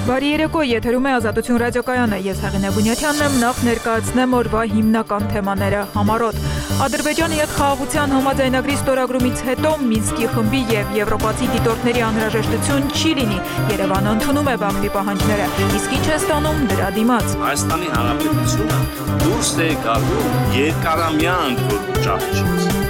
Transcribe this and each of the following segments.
Բարի երեկո, եթերում է Ազատություն ռադիոկայանը, ես Հեղինե Բունյաթյանն եմ, նախ ներկայացնեմ օրվա հիմնական թեմաները համառոտ։ Ադրբեջանի հետ խաղաղության համաձայնագրի ստորագրումից հետո Մինսկի խմբի եւ եվրոպացի դիտորդների անհրաժեշտություն չի լինի։ Երևանը ընդունում է Բաքվի պահանջները, իսկ ինչ է ստանում դրա դիմաց։ Հայաստանի Հանրապետությունը դուրս է գալու երկարամյա ճահճից։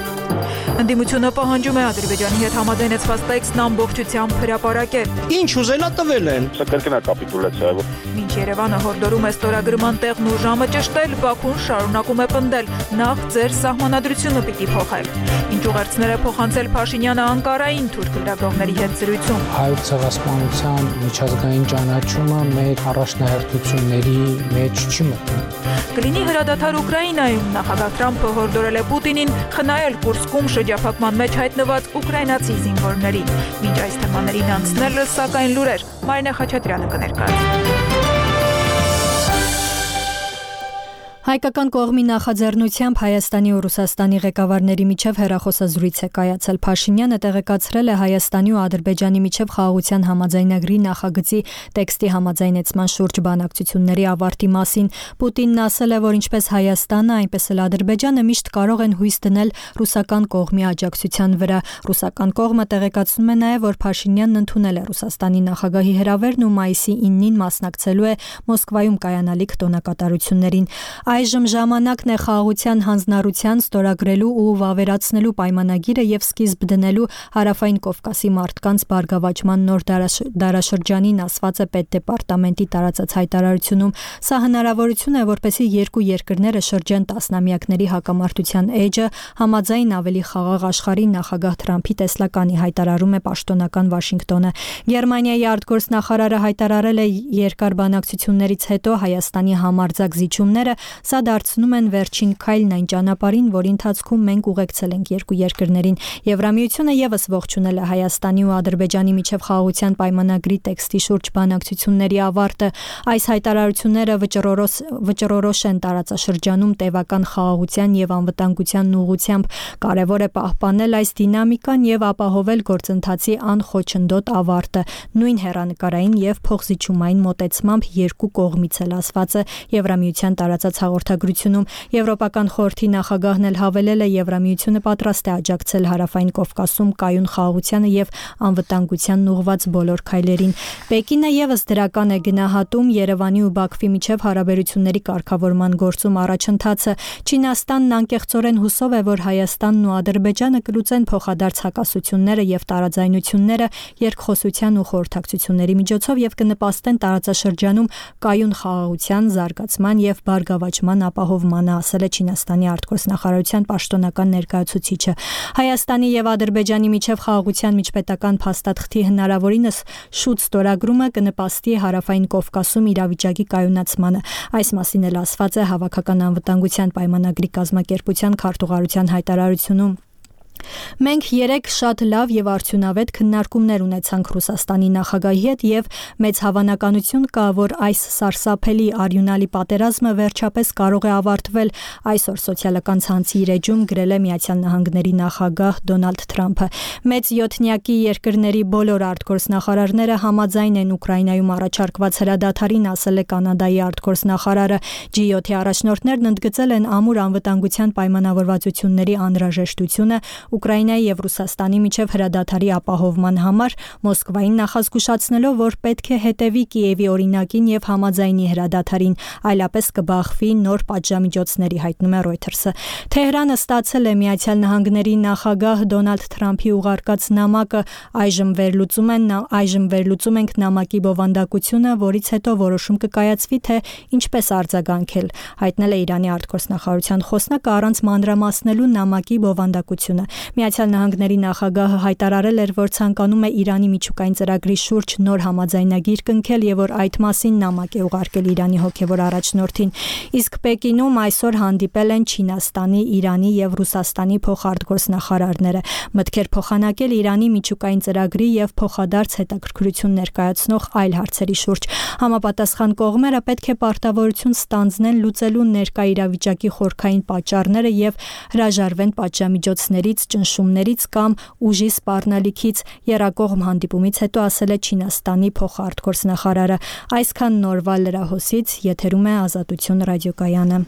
Ընդդիմությունը պահանջում է Ադրբեջանի հետ համաձայնեցված տեքստն ամբողջությամբ հրապարակել։ Ինչ ուզելա տվել են։ Կրկնա կապիտուլյացիա։ Մինչ Երևանը հորդորում է ստորագրման տեղն ու ժամը ճշտել, Բաքուն շարունակում է պնդել. նախ ձեր սահմանադրությունը պիտի փոխեք։ Ինչ ուղերձներ է փոխանցել Փաշինյանը Անկարային թուրք լրագրողների հետ զրույցում։ Հայոց ցեղասպանության միջազգային ճանաչումը մեր առաջնահերթությունների մեջ չի մտնում։ Կլինի հրադադար Ուկրաինայում, նախագահ Թրամփը հորդորել է Պուտինին խնայել Կուրսկում շրջափակման մեջ հայտնված ուկրաինացի զինվորներին։ Մինչ այս թեմաներին անցնելը, սակայն լուրեր, Մարինե Խաչատրյանը կներկայացնի։ Հայկական կողմի նախաձեռնությամբ Հայաստանի ու Ռուսաստանի ղեկավարների միջև հեռախոսազրույց է կայացել։ Փաշինյանը տեղեկացրել է Հայաստանի ու Ադրբեջանի միջև խաղաղության համաձայնագրի նախագծի տեքստի համաձայնեցման շուրջ բանակցությունների ավարտի մասին։ Պուտինն ասել է, որ ինչպես Հայաստանը, այնպես էլ Ադրբեջանը միշտ կարող են հույս դնել ռուսական կողմի աջակցության վրա։ Ռուսական կողմը տեղեկացնում է նաև, որ Փաշինյանն ընդունել է Ռուսաստանի նախագահի հրավերն ու մայիսի 9-ին մասնակցելու է Մոսկվայում կայանալիք տոնակատարություններին։ Այժմ ժամանակն է խաղաղության հանձնառության ստորագրելու ու վավերացնելու պայմանագիրը եւ սկիզբ դնելու Հարավային Կովկասի մարդկանց բարգավաճման նոր դարաշրջանին, ասված է Պետդեպարտամենտի տարածած հայտարարությունում։ Սա հնարավորություն է, որպեսզի երկու երկրները շրջեն տասնամյակների հակամարտության էջը, համաձայն ավելի խաղաղ աշխարհի նախագահ Թրամփի տեսլականի, հայտարարում է պաշտոնական Վաշինգտոնը։ Գերմանիայի արտգործնախարարը հայտարարել է երկար բանակցություններից հետո Հայաստանի համարձակ զիջումները սա դարձնում են վերջին քայլն այն ճանապարհին, որի ընթացքում մենք ուղեկցել ենք երկու երկրներին։ Եվրամիությունը եւս ողջունել է Հայաստանի ու Ադրբեջանի միջև խաղաղության պայմանագրի տեքստի շուրջ բանակցությունների ավարտը։ Այս հայտարարությունները վճռորոշ են տարածաշրջանում տևական խաղաղության եւ անվտանգության ուղղությամբ։ Կարևոր է պահպանել այս դինամիկան եւ ապահովել գործընթացի անխոչնդոտ ավարտը, նույն հեռանկարային եւ փոխզիջումային մոտեցմամբ երկու կողմից էլ, ասված է Եվրամիության տարածած հաղորդագրությունում։ Եվրոպական խորհրդի նախագահն էլ հավելել է, Եվրամիությունը պատրաստ է աջակցել Հարավային Կովկասում կայուն խաղաղությանը եւ անվտանգությանն ուղղված բոլոր քայլերին։ Պեկինը եւս դրական է գնահատում Երևանի ու Բաքվի միջև հարաբերությունների կարգավորման գործում առաջընթացը։ Չինաստանն անկեղծորեն հուսով է, որ Հայաստանն ու Ադրբեջանը կլուծեն փոխադարձ հակասությունները եւ տարաձայնությունները երկխոսության ու խորհրդակցությունների միջոցով եւ կնպաստեն տարածաշրջանում կայուն խաղաղության, զարգացման եւ բարգավաճման ապահովմանը, ասել է Չինաստանի արտգործնախարարության պաշտոնական ներկայացուցիչը։ Հայաստանի եւ Ադրբեջանի միջև խաղաղության միջպետական փաստաթղթի հնարավորինս շուտ ստորագրումը կնպաստի Հարավային Կովկասում իրավիճակի կայունացմանը։ Այս մասին էլ ասված է Հավաքական անվտանգության պայմանագրի կազմակերպության քարտուղարության հայտարարությունում։ Մենք 3 շատ լավ եւ արդյունավետ քննարկումներ ունեցանք Ռուսաստանի նախագահի հետ եւ մեծ հավանականություն կա, որ այս սարսափելի արյունալի պատերազմը վերջապես կարող է ավարտվել, այսօր սոցիալական ցանցի իր էջում գրել է Միացյալ Նահանգների նախագահ Դոնալդ Թրամփը։ Մեծ յոթնյակի երկրների բոլոր արտգործնախարարները համաձայն են Ուկրաինայում առաջարկված հրադադարին, ասել է Կանադայի արտգործնախարարը։ G7-ի առաջնորդներն ընդգծել են ամուր անվտանգության պայմանավորվածությունների անհրաժեշտությունը Ուկրաինայի եւ Ռուսաստանի միջև հրադադարի ապահովման համար, Մոսկվային նախազգուշացնելով, որ պետք է հետևի Կիևի օրինակին եւ համաձայնի հրադադարին, այլապես կբախվի նոր պատժամիջոցների, հայտնում է Reuters-ը։ Թեհրանը ստացել է Միացյալ Նահանգների նախագահ Դոնալդ Թրամփի ուղարկած նամակը, այժմ վերլուծում ենք նամակի բովանդակությունը, որից հետո որոշում կկայացվի, թե ինչպես արձագանքել, հայտնել է Իրանի արտգործնախարարության խոսնակը առանց մանրամասնելու նամակի բովանդակությունը։ Միացյալ Նահանգների նախագահը հայտարարել էր, որ ցանկանում է Իրանի միջուկային ծրագրի շուրջ նոր համաձայնագիր կնքել եւ որ այդ մասին նամակ է ուղարկել Իրանի հոգեվոր առաջնորդին։ Իսկ Պեկինում այսօր հանդիպել են Չինաստանի, Իրանի եւ Ռուսաստանի փոխարտգործնախարարները, մտքեր փոխանակել Իրանի միջուկային ծրագրի եւ փոխադարձ հետաքրքրություն ներկայացնող այլ հարցերի շուրջ։ Համապատասխան կողմերը պետք է պարտավորություն ստանձնեն լուծելու ներկա իրավիճակի խորքային պատճառները եւ հրաժարվեն պատժամիջոցներից, բացառված ճնշումներից կամ ուժի սպառնալիքից եռակողմ հանդիպումից հետո ասել է Չինաստանի փոխարտգործնախարարը։ Այսքան նորվա լրահոսից եթերում է Ազատություն ռադիոկայանը։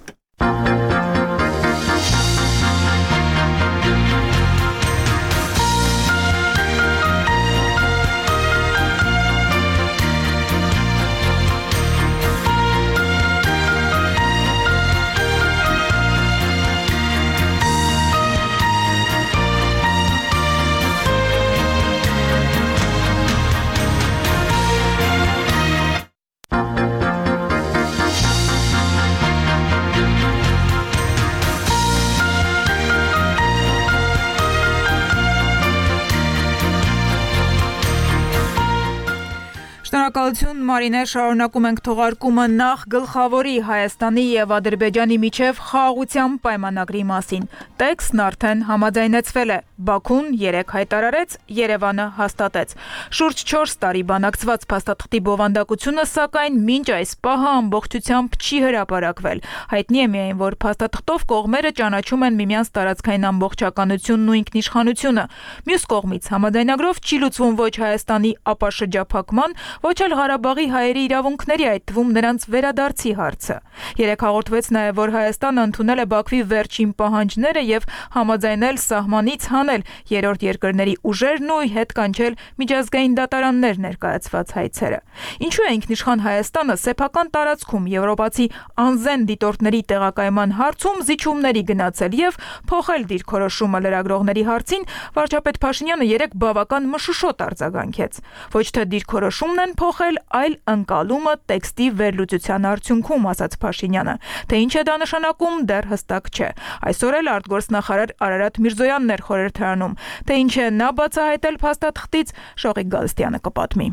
Շնորհակալություն Մարինե, շարունակում ենք թողարկումը նախ գլխավորի Հայաստանի եւ Ադրբեջանի միջև խաղաղության պայմանագրի մասին։ Տեքստն արդեն համաձայնեցվել է։ Բաքուն 3 հայտարարեց, Երևանը հաստատեց։ Շուրջ 4 տարի բանակցված փաստաթղթի բովանդակությունը, սակայն մինչ այս պահը ամբողջությամբ չի հրապարակվել։ Հայտնի է միայն, որ փաստաթղթով կողմերը ճանաչում են միմյանց տարածքային ամբողջականությունն ու ինքնիշխանությունը։ Մյուս կողմից համաձայնագրով չի լուծվում ոչ Հայաստանի ապաշրջափակման, ոչ էլ Ղարաբաղի հայերի իրավունքների, այդ թվում նրանց վերադարձի հարցը։ Երեկ հաղորդվեց նաև, որ Հայաստանը ընդունել է Բաքվի վերջին պահանջները եւ համաձայնել սահմանից հանել երրորդ երկրների ուժերն ու հետ կանչել միջազգային դատարաններ ներկայացված հայցերը։ Ինչու է ինքնիշխան Հայաստանը սեփական տարածքում եվրոպացի անզեն դիտորդների տեղակայման հարցում զիջումների գնացել եւ փոխել դիրքորոշումը լրագրողների հարցին, վարչապետ Փաշինյանը երեկ բավական մշուշոտ արձագանքեց։ Ոչ թե դիրքորոշումն են փոխել, այլ ընկալումը տեքստի վերլուծության արդյունքում, ասաց Փաշինյանը։ Թե ինչ է դա նշանակում, դեռ հստակ չէ։ Այսօր էլ արտգործնախարար Արարատ Միրզոյանն էր խորհրդարանում։ Թե ինչ է նա բացահայտել փաստաթղթից, Շողիկ Գալստյանը կպատմի։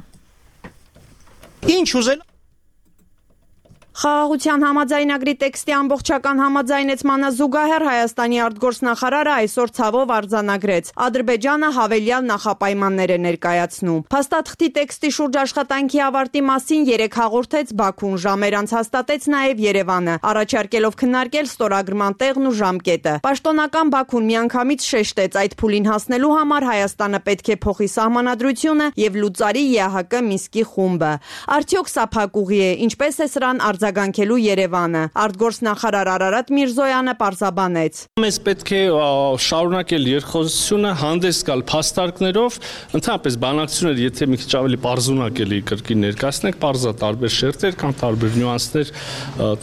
Ինչ ուզել Խաղաղության համաձայնագրի տեքստի ամբողջական համաձայնեցմանը զուգահեռ Հայաստանի արտգործնախարարը այսօր ցավով արձանագրեց. Ադրբեջանը հավելյալ նախապայմաններ է ներկայացնում։ Փաստաթղթի տեքստի շուրջ աշխատանքի ավարտի մասին երեկ հաղորդեց Բաքուն, ժամեր անց հաստատեց նաև Երևանը, առաջարկելով քննարկել ստորագրման տեղն ու ժամկետը։ Պաշտոնական Բաքուն միանգամից շեշտեց, այդ փուլին հասնելու համար Հայաստանը պետք է փոխի սահմանադրությունը եւ լուծարի ԵԱՀԿ Մինսկի խումբը։ Արդյոք սա փակուղի է, ինչպես է սրան արձագանքելու Երևանը։ Արտգործնախարար Արարատ Միրզոյանը պարզաբանեց. Մեզ պետք է շարունակել երկխոսությունը, հանդես գալ փաստարկներով, ընդհանրապես բանակցությունները, եթե մի քիչ ավելի պարզունակելի կրկին ներկայացնենք, պարզա տարբեր շերտեր կամ տարբեր նյուանսներ,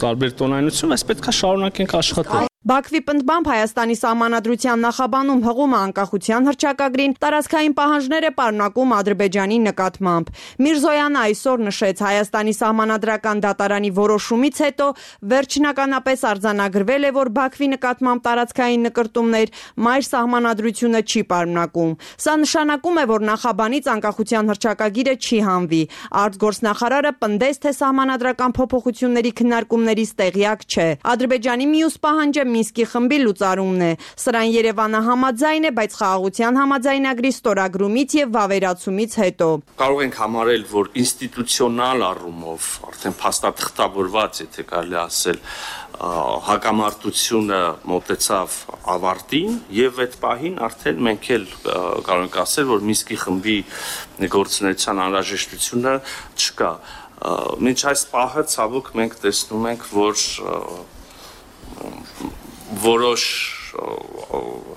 տարբեր տոնայնություն, այս պետք է շարունակենք աշխատել։ Բաքվի պնդմամբ Հայաստանի սահմանադրության նախաբանում հղում է անկախության հռչակագրին, տարածքային պահանջներ է պարունակում Ադրբեջանի նկատմամբ։ Միրզոյանը այսօր նշեց, Հայաստանի սահմանադրական դատարանի որոշումից հետո վերջնականապես արձանագրվել է, որ Բաքվի նկատմամբ տարածքային նկրտումներ մայր սահմանադրությունը չի պարունակում։ Սա նշանակում է, որ նախաբանից անկախության հռչակագիրը չի հանվի։ Արտգործնախարարը պնդեց, թե սահմանադրական փոփոխությունների քննարկումներից տեղյակ չէ։ Ադրբեջանի մյուս պահանջը Մինսկի խմբի լուծարումն է։ Սրան Երևանը համաձայն է, բայց խաղաղության համաձայնագրի ստորագրումից եւ վավերացումից հետո կարող ենք համարել, որ ինստիտուցիոնալ առումով արդեն փաստաթղթավորված, եթե կարելի ասել, հակամարտությունը մոտեցավ ավարտին եւ այդ պահին արդեն մենք էլ կարող ենք ասել, որ Մինսկի խմբի գործունեության անհրաժեշտությունը չկա։ Մինչ այս պահը ցավոք մենք տեսնում ենք, որ որոշ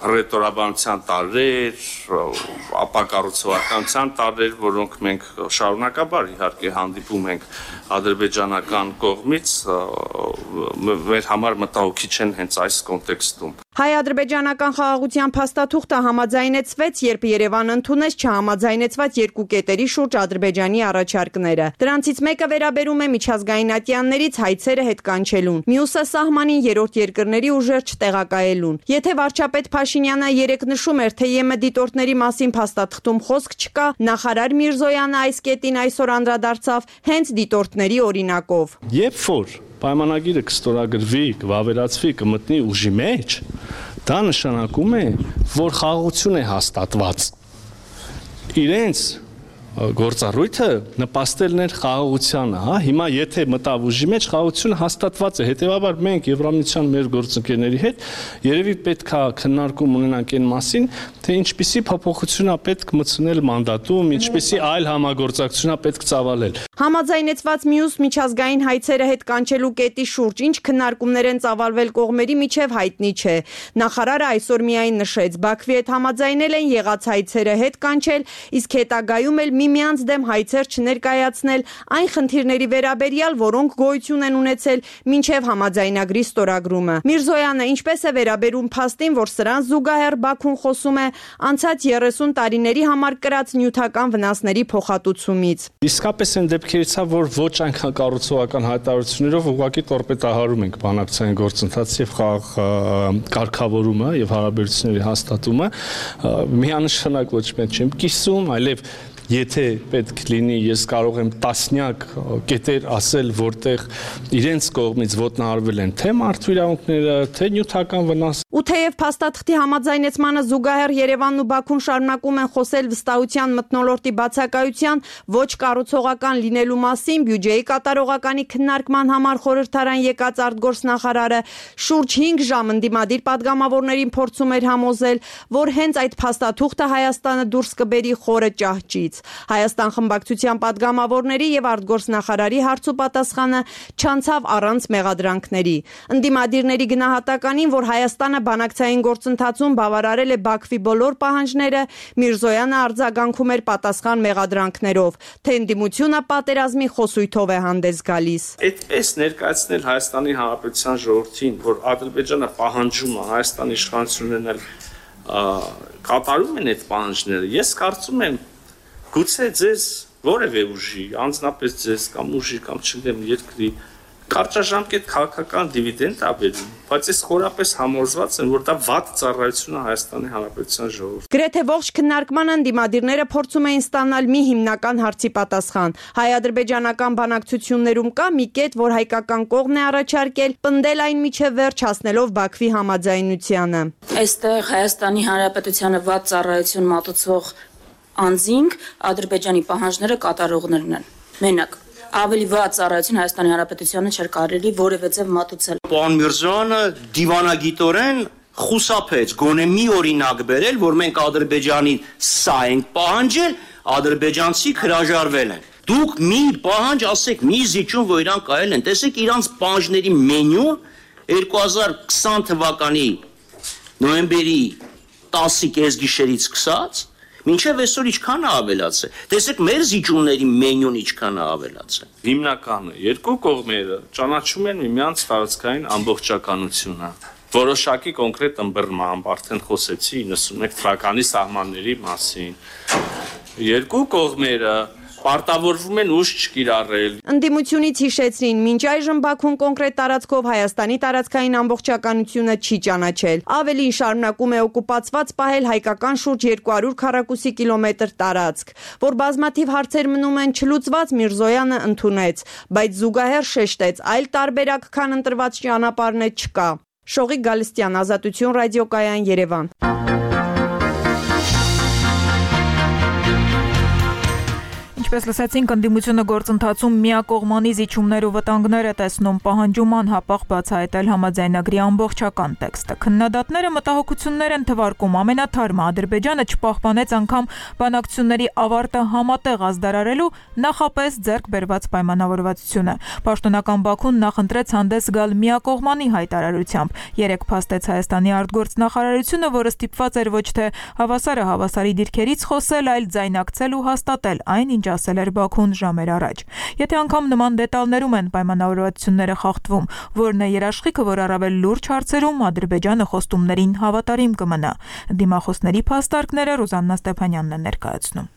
հռետորաբանության տարրեր, ապակառուցողականության տարրեր, որոնք մենք շարունակաբար իհարկե հանդիպում ենք ադրբեջանական կողմից, մեր համար մտահոգիչ չեն հենց այս կոնտեքստում։ Հայ-ադրբեջանական խաղաղության փաստաթուղթը համաձայնեցվեց, երբ Երևանը ընդունեց չհամաձայնեցված երկու կետերի շուրջ Ադրբեջանի առաջարկները։ Դրանցից մեկը վերաբերում է միջազգային ատյաններից հայցերը հետ կանչելուն, մյուսը սահմանին երրորդ երկրների ուժեր չտեղակայելուն։ Եթե վարչապետ Փաշինյանը երեկ նշում էր, թե ԵՄ դիտորդների մասին փաստաթղթում խոսք չկա, նախարար Միրզոյանը այս կետին այսօր անդրադարձավ հենց դիտորդների օրինակով։ Երբ որ պայմանագիրը կստորագրվի, կվավերացվի, կմտնի ուժի մեջ, դա նշանակում է, որ խաղաղություն է հաստատված։ Իրենց գործառույթը նպաստելն էր խաղաղությանը, հա, հիմա եթե մտավ ուժի մեջ խաղաղությունը հաստատված է, հետեւաբար մենք Եվրամիության մեր գործընկերների հետ երևի պետք է քննարկում ունենանք այն մասին, թե ինչպիսի փոփոխություն է պետք մտցնել մանդատում, ինչպիսի այլ համագործակցություն է պետք ծավալել։ Համաձայնեցված մյուս միջազգային հայցերը հետ կանչելու կետի շուրջ ինչ քննարկումներ են ծավալվել կողմերի միջև հայտնի չէ։ Նախարարը այսօր միայն նշեց, Բաքվի հետ համաձայնել են եղած հայցերը հետ կանչել, իսկ հետագայում էլ միմյանց դեմ հայցեր չներկայացնել այն խնդիրների վերաբերյալ, որոնք գոյություն են ունեցել մինչև համաձայնագրի ստորագրումը։ Միրզոյանը ինչպես է վերաբերում փաստին, որ սրան զուգահեռ Բաքուն խոսում է անցած 30 տարիների համար կրած նյութական վնասների փոխհատուցումից։ Իսկապես են դեպքերից է, որ ոչ այնքան կառուցողական հայտարարություններով ուղղակի տորպետահարում ենք բանակցային գործընթացը եւ խաղաղ կարգավորումը եւ հարաբերությունների հաստատումը, միանշանակ ոչ մեկ չեմ կիսում, այլև եթե պետք լինի, ես կարող եմ տասնյակ կետեր ասել, որտեղ իրենց կողմից ոտնահարվել են թե մարդու իրավունքները, թե նյութական վնաս։ Ու թեև փաստաթղթի համաձայնեցմանը զուգահեռ Երևանն ու Բաքուն շարունակում են խոսել վստահության մթնոլորտի բացակայության ոչ կառուցողական լինելու մասին, բյուջեի կատարողականի քննարկման համար խորհրդարան եկած արտգործնախարարը շուրջ 5 ժամ ընդդիմադիր падգամավորներին փորձում էր համոզել, որ հենց այդ փաստաթուղթը Հայաստանը դուրս կբերի խորը ճահճից։ Հայաստան խմբակցության падգամավորների եւ արտգործնախարարի հարցուպատասխանը չանցավ առանց մեղադրանքների։ Ընդդիմադիրների գնահատականին, որ Հայաստանը բանակցային գործընթացում բավարարել է Բաքվի բոլոր պահանջները, Միրզոյանը արձագանքում էր պատասխան մեղադրանքներով, թե ընդդիմությունը պատերազմի խոսույթով է հանդես գալիս։ Այդպես ներկայացնել Հայաստանի Հանրապետության ժողովրդին, որ Ադրբեջանը պահանջում է Հայաստանի իշխանություններն կատարում են այդ պահանջները, ես կարծում եմ գուցե ձեզ որևէ ուժի, անձնապես ձեզ կամ ուժի կամ չգիտեմ երկրի կարճաժամկետ քաղաքական դիվիդենդ է բերում, բայց ես խորապես համոզված եմ, որ դա վատ ծառայություն է Հայաստանի Հանրապետության ժողովրդին։ Գրեթե ողջ քննարկմանը ընդդիմադիրները փորձում էին ստանալ մի հիմնական հարցի պատասխան։ Հայ-ադրբեջանական բանակցություններում կա մի կետ, որ հայկական կողմն է առաջարկել, պնդել այն միջև վերջ հասնելով Բաքվի համաձայնությանը։ Այստեղ Հայաստանի Հանրապետությանը վատ ծառայություն մատուցող անձինք Ադրբեջանի պահանջները կատարողներն են։ Մենակ ավելի վատ ծառայություն Հայաստանի Հանրապետությանը չէր կարելի որևէ ձև մատուցել։ Պարոն Միրզոյանը դիվանագիտորեն խուսափեց գոնե մի օրինակ բերել, որ մենք Ադրբեջանի սա ենք պահանջել, ադրբեջանցիք հրաժարվել են։ Դուք մի պահանջ ասեք, մի զիջում, որ իրանք կայել են, տեսեք իրանց պահանջների մենյու 2020 թվականի նոյեմբերի 10-ի կեսգիշերից սկսած մինչև այսօր ինչքան է ավելացել։ Տեսեք մեր զիջումների մենյուն ինչքան է ավելացել։ Հիմնականը երկու կողմերը ճանաչում են միմյանց տարածքային ամբողջականությունը։ Որոշակի կոնկրետ ըմբռնմամբ արդեն խոսեցի 91 թվականի սահմանների մասին։ Երկու կողմերը պարտավորվում են ուժ չկիրառել։ Ընդդիմությունից հիշեցրին, մինչ այժմ Բաքուն կոնկրետ տարածքով Հայաստանի տարածքային ամբողջականությունը չի ճանաչել։ Ավելին շարունակում է օկուպացված պահել հայկական շուրջ 200 քառակուսի կիլոմետր տարածք, որ բազմաթիվ հարցեր մնում են չլուծված, Միրզոյանը ընդունեց, բայց զուգահեռ շեշտեց, այլ տարբերակ, քան ընտրված ճանապարհն է, չկա։ Շողիկ Գալստյան, Ազատություն ռադիոկայան, Երևան։ Ինչպես լսեցինք, ընդդիմությունը գործընթացում միակողմանի զիջումներ ու վտանգներ է տեսնում, պահանջում անհապաղ բացահայտել համաձայնագրի ամբողջական տեքստը։ Քննադատները մտահոգություններ են թվարկում, ամենաթարմը Ադրբեջանը չպահպանեց անգամ բանակցությունների ավարտը համատեղ ազդարարելու նախապես ձեռք բերված պայմանավորվածությունը։ Պաշտոնական Բաքուն նախընտրեց հանդես գալ միակողմանի հայտարարությամբ։ Երեկ փաստեց Հայաստանի արտգործնախարարությունը, որը ստիպված էր ոչ թե հավասարը հավասարի դիրքերից խոսել, այլ ձայնակցել ու հաստատել այն, ինչ ասել էր Բաքուն ժամեր առաջ։ Եթե անգամ նման դետալներում են պայմանավորվածությունները խախտվում, որն է երաշխիքը, որ առավել լուրջ հարցերում Ադրբեջանը խոստումներին հավատարիմ կմնա։ Դիմախոսների փաստարկները Ռուզաննա Ստեփանյանն է ներկայացնում։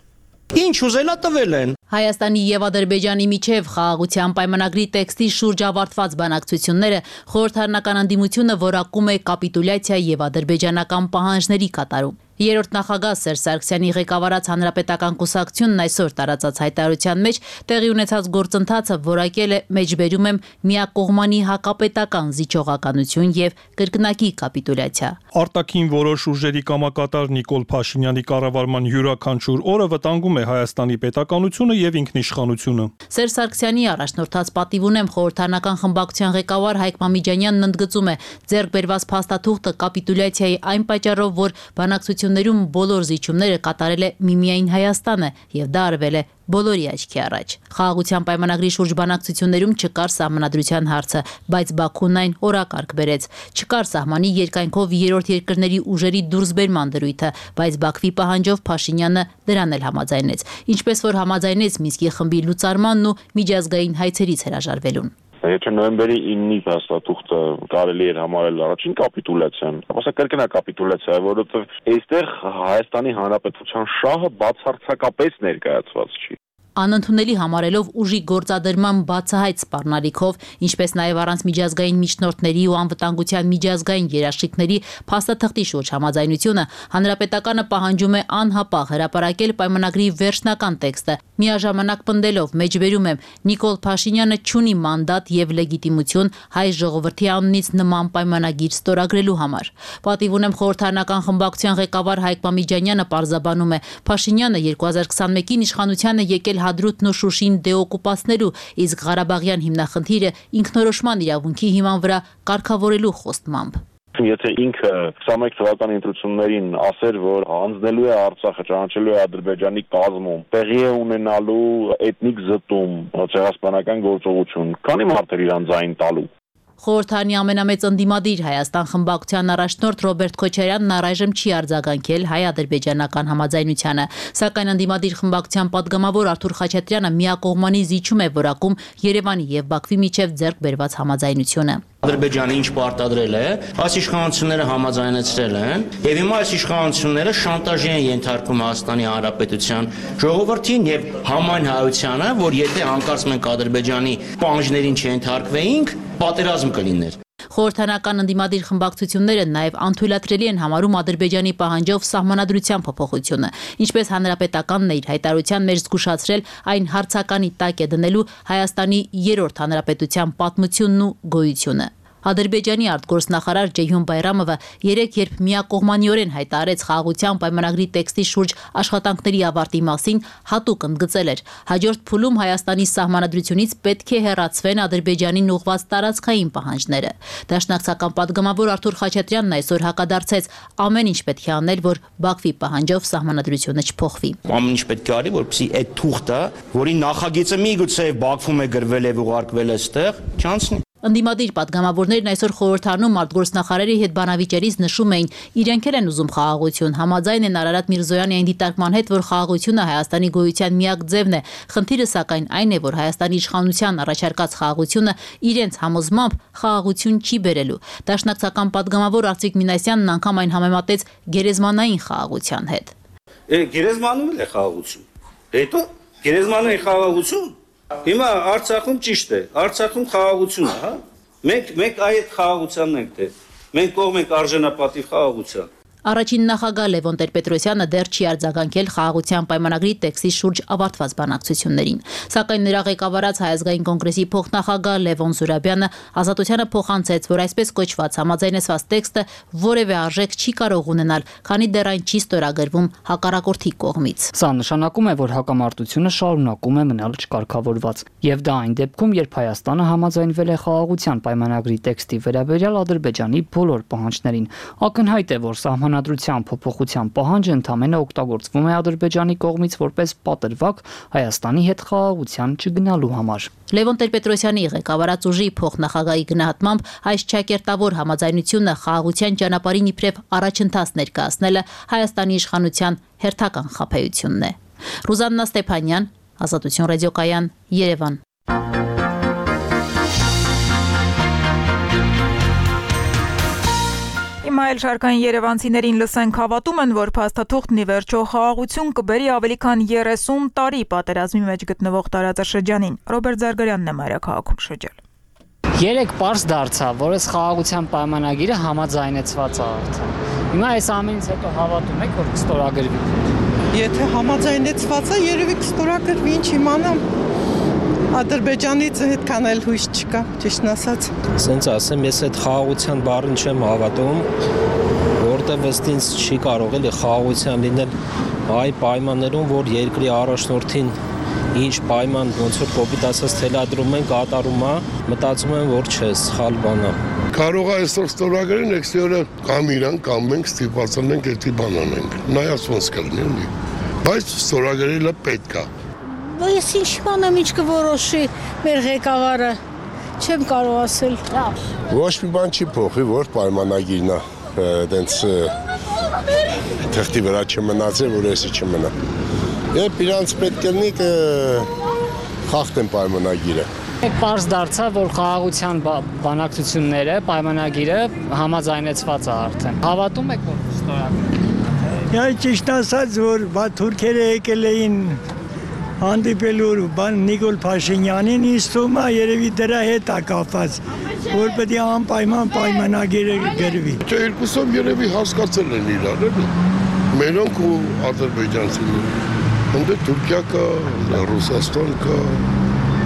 Ինչ ուզելա տվել են։ Հայաստանի եւ Ադրբեջանի միջև խաղաղության պայմանագրի տեքստի շուրջ ավարտված բանակցությունները խորհրդարանական ընդդիմությունը որակում է կապիտուլյացիա եւ ադրբեջանական պահանջների կատարում։ Երրորդ նախագահ Սերժ Սարգսյանի ղեկավարած Հանրապետական կուսակցությունն այսօր տարածած հայտարարության մեջ տեղի ունեցած գործընթացը որակել է մեջբերում եմ միակողմանի հակապետական զիջողականություն եւ կրկնակի կապիտուլյացիա։ Արտաքին որոշ ուժերի կամակատար Նիկոլ Փաշինյանի կառավարման յուրաքանչյուր օրը վտանգում է Հայաստանի պետականությունը եւ ինքնիշխանությունը։ Սերժ Սարգսյանի առաջնորդած պատիվ ունեմ խորհրդարանական խմբակցության ղեկավար Հայկ Մամիջանյանն ընդգծում է ձեռք բերված փաստաթուղթը կապիտուլյացիայի այն պատճառով, որ բանակցություններում բոլոր զիջումները կատարել է միմիայն Հայաստանը եւ դա արվել է բոլորի աչքի առաջ։ Խաղաղության պայմանագրի շուրջ բանակցություններում չկար սահմանադրության հարցը, բայց Բաքուն այն օրակարգ բերեց։ Չկար սահմանի երկայնքով երրորդ երկրների ուժերի դուրսբերման դրույթը, բայց Բաքվի պահանջով Փաշինյանը դրան էլ համաձայնեց, ինչպես որ համաձայնեց Մինսկի խմբի լուծարմանն ու միջազգային հայցերից հրաժարվելուն։ Եթե նոյեմբերի 9-ի փաստաթուղթը կարելի էր համարել առաջին կապիտուլյացիան, ապա կրկնա կապիտուլյացիա, որովհետև այստեղ Հայաստանի Հանրապետության շահը բացարձակապես ներկայացված չի։ Անընդունելի համարելով ուժի գործադրման բացահայտ սպառնալիքով, ինչպես նաև առանց միջազգային միջնորդների ու անվտանգության միջազգային երաշխիքների փաստաթղթի շուրջ համաձայնությունը, Հանրապետականը պահանջում է անհապաղ հրապարակել պայմանագրի վերջնական տեքստը, միաժամանակ պնդելով, մեջբերում եմ, Նիկոլ Փաշինյանը չունի մանդատ եւ լեգիտիմություն հայ ժողովրդի անունից նման պայմանագիր ստորագրելու համար։ Պատիվ ունեմ խորհրդարանական խմբակցության ղեկավար Հայկ Մամիջանյանը պարզաբանում է, Փաշինյանը 2021-ին իշխանությանը եկել Հադրութն ու Շուշին դեօկուպացնելու, իսկ Ղարաբաղյան հիմնախնդիրը ինքնորոշման իրավունքի հիման վրա կարգավորելու խոստմամբ։ Եթե ինքը 21 թվականի ընտրություններին ասեր, որ հանձնելու է Արցախը, ճանաչելու է Ադրբեջանի կազմում, տեղի է ունենալու էթնիկ զտում, ցեղասպանական գործողություն, քանի մարդ էր իրան ձայն տալու։ Խորհրդարանի ամենամեծ ընդդիմադիր Հայաստան խմբակցության առաջնորդ Ռոբերտ Քոչարյանն առայժմ չի արձագանքել հայ-ադրբեջանական համաձայնությանը, սակայն ընդդիմադիր խմբակցության падգամավոր Արթուր Խաչատրյանը միակողմանի զիջում է որակում Երևանի եւ Բաքվի միջև ձեռք բերված համաձայնությունը։ Ադրբեջանը ինչ պարտադրել է, այս իշխանությունները համաձայնեցրել են, եւ հիմա այս իշխանությունները շանտաժի են ենթարկում Հայաստանի Հանրապետության ժողովրդին եւ համայն հայությանը, որ եթե հանկարծ մենք Ադրբեջանի պահանջներին չենթարկվեինք, պատերազմ կլիներ։ Խորհրդարանական ընդդիմադիր խմբակցությունները նաև անթույլատրելի են համարում Ադրբեջանի պահանջով սահմանադրության փոփոխությունը, ինչպես Հանրապետականն է իր հայտարարության մեջ զգուշացրել, այն հարցականի տակ է դնելու Հայաստանի երրորդ հանրապետության պատմությունն ու գոյությունը։ Ադրբեջանի արտգործնախարար Ջեյհուն Բայրամովը երեկ երբ միակողմանիորեն հայտարարեց խաղաղության պայմանագրի տեքստի շուրջ աշխատանքների ավարտի մասին, հատուկ ընդգծել էր. հաջորդ փուլում Հայաստանի սահմանադրությունից պետք է հեռացվեն Ադրբեջանին ուղղված տարածքային պահանջները։ Դաշնակցական падգամավոր Արթուր Խաչատրյանն այսօր հակադարձեց. ամեն ինչ պետք է անել, որ Բաքվի պահանջով սահմանադրությունը չփոխվի։ Ամեն ինչ պետք է արի, որպեսզի այդ թուղթը, որի նախագիծը միգուցե Բաքվում է գրվել եւ ուղարկվել այստեղ, չանցնի։ Ընդդիմադիր падգամավորներն այսօր խորհրդարանում արտգործնախարարի հետ բանավիճերից նշում էին, իրենք էլ են ուզում խաղաղություն, համաձայն են Արարատ Միրզոյանի այն դիտարկման հետ, որ խաղաղությունը Հայաստանի գոյության միակ ձևն է։ Խնդիրը սակայն այն է, որ Հայաստանի իշխանության առաջարկած խաղաղությունը իրենց համոզմամբ խաղաղություն չի բերելու։ Դաշնակցական падգամավոր Արծիկ Մինասյանն անգամ այն համեմատեց գերեզմանային խաղաղության հետ։ Գերեզմանում է խաղաղություն։ Հետո գերեզմանային խաղաղություն։ Հիմա Արցախում ճիշտ է, Արցախում խաղաղություն է, հա։ Մենք այդ խաղաղությանն ենք դեր։ Մենք կողմ ենք արժանապատիվ խաղաղության։ Առաջին նախագահ Լևոն Տեր-Պետրոսյանը դեռ չի արձագանքել խաղաղության պայմանագրի տեքստի շուրջ ավարտված բանակցություններին։ Սակայն նրա ղեկավարած Հայ ազգային կոնգրեսի փոխնախագահ Լևոն Զուրաբյանը Ազատությանը փոխանցեց, որ այսպես կոչված համաձայնեցված տեքստը որևէ արժեք չի կարող ունենալ, քանի դեռ այն չի ստորագրվում հակառակորդի կողմից։ Սա նշանակում է, որ հակամարտությունը շարունակում է մնալ չկարգավորված, եւ դա այն դեպքում, երբ Հայաստանը համաձայնվել է խաղաղության պայմանագրի տեքստի վերաբերյալ Ադրբեջանի բոլոր պահանջներին։ Ակնհայտ է, որ Սահմանադրության փոփոխության պահանջը ընդհանրապես օգտագործվում է Ադրբեջանի կողմից որպես պատրվակ Հայաստանի հետ խաղաղության չգնալու համար։ Լևոն Տեր-Պետրոսյանի ղեկավարած ուժի փոխնախագահի գնահատմամբ այս չակերտավոր համաձայնությունը խաղաղության ճանապարհին իբրև առաջընթաց ներկայացնելը Հայաստանի իշխանության հերթական խաբեությունն է։ Ռուզաննա Ստեփանյան, Ազատություն ռադիոկայան, Երևան։ Այլ շարքային երևանցիներին լսենք հավատում են, որ փաստաթուղթն ի վերջո խաղաղություն կբերի ավելի քան 30 տարի պատերազմի մեջ գտնվող տարածաշրջանին։ Ռոբերտ Զարգարյանն է մայրաքաղաքում շրջել։ Երեք պարզ դարձավ, որ այս խաղաղության պայմանագիրը համաձայնեցված է արդեն։ Հիմա այս ամենից հետո հավատում եք, որ կստորագրվի։ Եթե համաձայնեցված է, երևի կստորագրվի, ինչ իմանամ։ Ադրբեջանից այդքան էլ հույս չկա, ճիշտն ասած։ Սենց ասեմ, ես այդ խաղաղության բառին չեմ հավատում, որտեղ ըստ ինձ չի կարող էլի խաղաղության լինել այ պայմաններում, որ երկրի առաջնորդին ինչ պայման ոնց որ կոպիտ ասած թելադրում են կատարում է, մտածում եմ որ չէ, սխալ բան է։ Կարող է այսօր ստորագրեն, եկցի օրը կամ իրան կամ մենք ստիպացնենք էդի բան անենք։ Նայած ոնց կլինի էլի։ Բայց ստորագրելը պետք է։ Ես ինչ բանամ ինչ կորոշի մեր ղեկավարը, չեմ կարող ասել։ Ոչ մի բան չի փոխի, որ պայմանագիրն է, դենց թղթի վրա չմնացել, որ էսի չմնա։ Երբ իրանց պետք լինի կխախտեն պայմանագիրը։ Պարզ դարձավ, որ խաղաղության բանակցությունները, պայմանագիրը համաձայնեցված է արդեն։ Հավատում եք, որ ստորագրվի։ Ես ճիշտ ասած, որ թուրքերը եկել էին հանդիպելու Նիկոլ Փաշինյանին, ինձ թվում է երևի դրա հետ է կապված, որ պետք է անպայման պայմանագիրը գրվի։ Երկուսով երևի հասկացել են իրար, էլի։ Մենոնք ու ադրբեջանցիները։ Հանդե Թուրքիա կա, Ռուսաստան կա,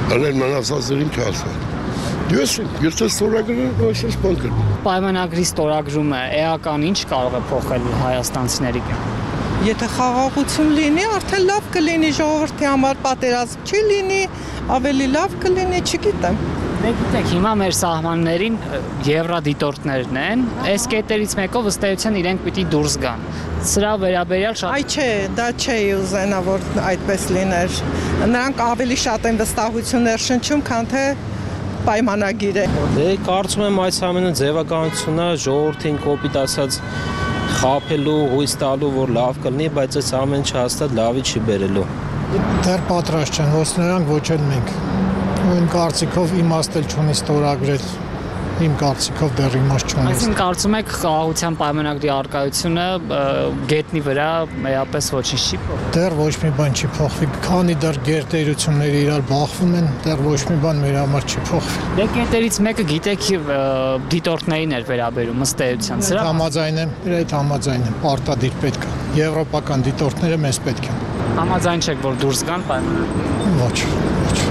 անել մանասազերին չասան։ Ես ստորագրել այսպես բան կրնի։ Պայմանագրի ստորագրումը էական ինչ կարող է փոխել հայաստանցիների կյանքում։ Եթե խաղաղություն լինի, արդեն լավ կլինի ժողովրդի համար, պատերազմ չի լինի, ավելի լավ կլինի, չգիտեմ։ Գիտեք, հիմա մեր սահմաններին եվրադիտորդներն են, այս կետերից մեկով ըստ էության իրենք պիտի դուրս գան։ Սրա վերաբերյալ շատ Այ չէ, դա չի ուզենա, որ այդպես լիներ։ Նրանք ավելի շատ են վստահություններ շնչում, քան թե պայմանագիր է։ Դե կարծում եմ այս ամենը ձևականությունն է ժողովրդին կոպիտ ասած խափելու, հույս տալու, որ լավ կլինի, բայց այս ամեն ինչը հաստատ լավի չի բերելու։ Դեռ պատրաստ չեն, ոչ նրանք, ոչ էլ մենք։ Իմ կարծիքով իմաստ էլ չունի ստորագրել։ Իմ կարծիքով դեռ իմաստ չունի։ Այսինքն կարծում եք խաղաղության պայմանագրի առկայությունը գետնի վրա մեյապես ոչինչ չի փոխվում։ Դեռ ոչ մի բան չի փոխվի, քանի դեռ գերտերությունները իրար բախվում են, դեռ ոչ մի բան մեր համար չի փոխվի։ Դե կետերից մեկը գիտեք դիտորդներին էր վերաբերում ըստ էության։ Սրա համաձայն եմ, այդ համաձայն եմ, պարտադիր պետք է։ Եվրոպական դիտորդները մեզ պետք են։ Համաձայն չեք, որ դուրս գան պայմանագրից։ Ոչ,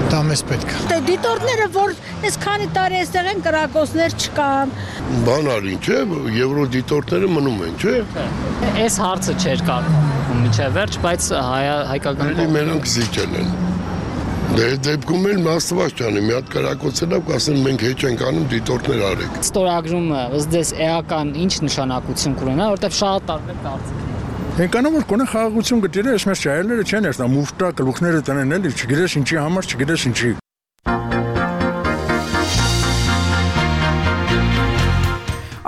դա մեզ պետք է։ Դե դիտորդները, որ այս քանի տարի այստեղ են, կրակոցներ չկան։ Բան արին, չէ, եվրոդիտորդները մնում են, չէ։ Այս հարցը չէր կարգավորվում միջև վերջ, բայց հայկական կողմը մենակ զիջել են։ Դե դեպքում էլ Աստված ջանի, մի հատ կրակոցելավ կասեն մենք հեչ ենք անում, դիտորդներ արեք։ Ստորագրումը ըստ ձեզ էական ինչ նշանակություն կունենա, որտեղ շատ տարբեր կարծիքներ։ Ենկանով որ կոնե խաղաղություն գտիրը, ես մեզ ճայելները չեն երտա, մուվտա գլուխները տնեն էլի, չգիտես ինչի համար, չգիտես ինչի։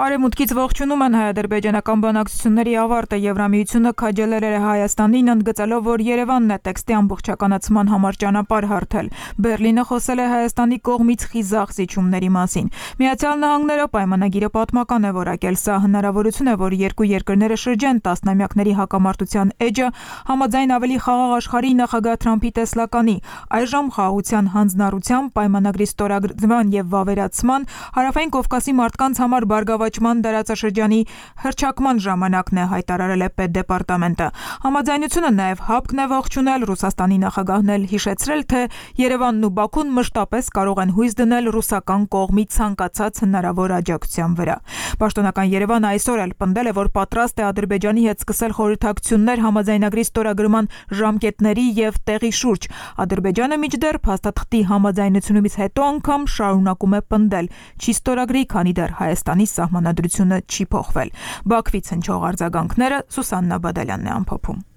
Արևմուտքից ողջունում են հայ-ադրբեջանական բանակցությունների ավարտը Եվրամիությունը քաջալերել է Հայաստանին ընդգծելով, որ Երևանն է տեքստի ամբողջականացման համար ճանապարհ հարթել։ Բերլինը խոսել է Հայաստանի կողմից խիզախ զիջումների մասին։ Միացյալ Նահանգները պայմանագիրը պատմական է որակել, սա հնարավորություն է, որ երկու երկրները շրջեն տասնամյակների հակամարտության էջը համաձայն ավելի խաղաղ աշխարհի նախագահ Թրամփի տեսլականի։ Այժմ խաղաղության հանձնառությամբ պայմանագրի ստորագրման եւ վավերացման Հարավային Կովկասի մարդկանց համար բարգավաճման դարաշրջանի հռչակման ժամանակն է, հայտարարել է պետդեպարտամենտը։ Համաձայնությունը նաև հապկն է ողջունել, Ռուսաստանի նախագահն էլ հիշեցրել, թե Երևանն ու Բաքուն մշտապես կարող են հույս դնել ռուսական կողմի ցանկացած հնարավոր աջակցության վրա։ Պաշտոնական Երևանը այսօր էլ պնդել է, որ պատրաստ է Ադրբեջանի հետ սկսել խորհրդակցություններ համաձայնագրի ստորագրման ժամկետների եւ տեղի շուրջ։ Ադրբեջանը մինչդեռ փաստաթղթի համաձայնությունից հետո անգամ շարունակում է պնդել, չի ստորագրի, քանի դեռ Հայաստանի սահմանադրությունը չի փոխվել։ Բաքվից հնչող արձագանքները Սուսաննա Բադալյանն է ամփոփում։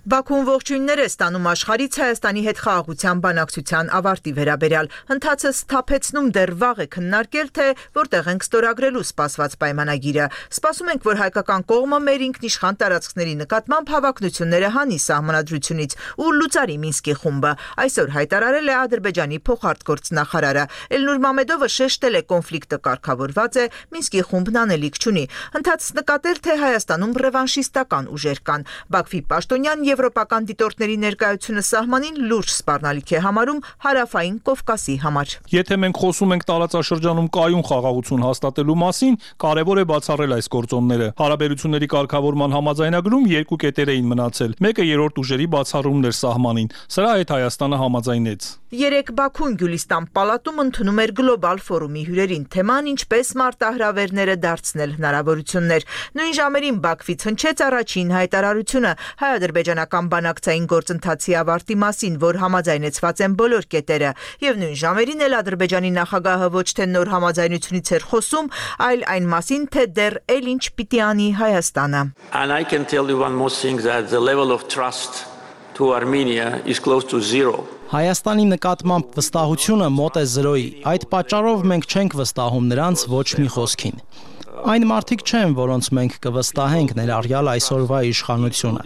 Բաքուն ողջույններ է ստանում աշխարհից Հայաստանի հետ խաղաղության բանակցության ավարտի վերաբերյալ։ Ընթացը սթափեցնում դեռ վաղ է քննարկել, թե որտեղ ենք ստորագրելու սպասված պայմանագիրը։ Սպասում ենք, որ հայկական կողմը մեր ինքնիշխան տարածքների նկատմամբ հավակնությունները հանի սահմանադրությունից ու լուծարի Մինսկի խումբը։ Այսօր հայտարարել է Ադրբեջանի փոխարտգործնախարարը։ Էլնուր Մամեդովը շեշտել է, կոնֆլիկտը կարգավորված է, Մինսկի խումբն անելիք չունի։ Ընթացս նկատել, թե Հայաստանում ռևանշիստական ուժեր կան։ Բաքվի պաշտոնյան Եվրոպական դիտորդների ներկայությունը սահմանին լուրջ սպառնալիք է համարում հարավային Կովկասի համար։ Եթե մենք խոսում ենք տարածաշրջանում կայուն խաղաղություն հաստատելու մասին, կարևոր է բացառել այս գործոնները։ Հարաբերությունների կարգավորման համաձայնագրում երկու կետեր էին մնացել։ Մեկը երրորդ ուժերի բացառումն էր սահմանին։ Սրա հետ Հայաստանը համաձայնեց։ Երեկ Բաքուն Գյուլիստան պալատում ընդունում էր գլոբալ ֆորումի հյուրերին թեման ինչպես մարտահրավերները դարձնել հնարավորություններ։ Նույն ժամերին Բաքվից հնչեց առաջին հայտարարությունը հայ-ադրբեջանական բանակցային գործընթացի ավարտի մասին, որ համաձայնեցված են բոլոր կետերը, եւ նույն ժամերին էլ Ադրբեջանի նախագահը ոչ թե նոր համաձայնությունից էր խոսում, այլ այն մասին, թե դեռ էլ ինչ պիտի անի Հայաստանը։ And I can tell you one more thing that the level of trust to Armenia is close to zero. Հայաստանի նկատմամբ վստահությունը մոտ է 0-ի։ Այդ պատճառով մենք չենք վստահում նրանց ոչ մի խոսքին։ Այն մարդիկ չեն, որոնց մենք կվստահենք ներառյալ այսօրվա իշխանությունը։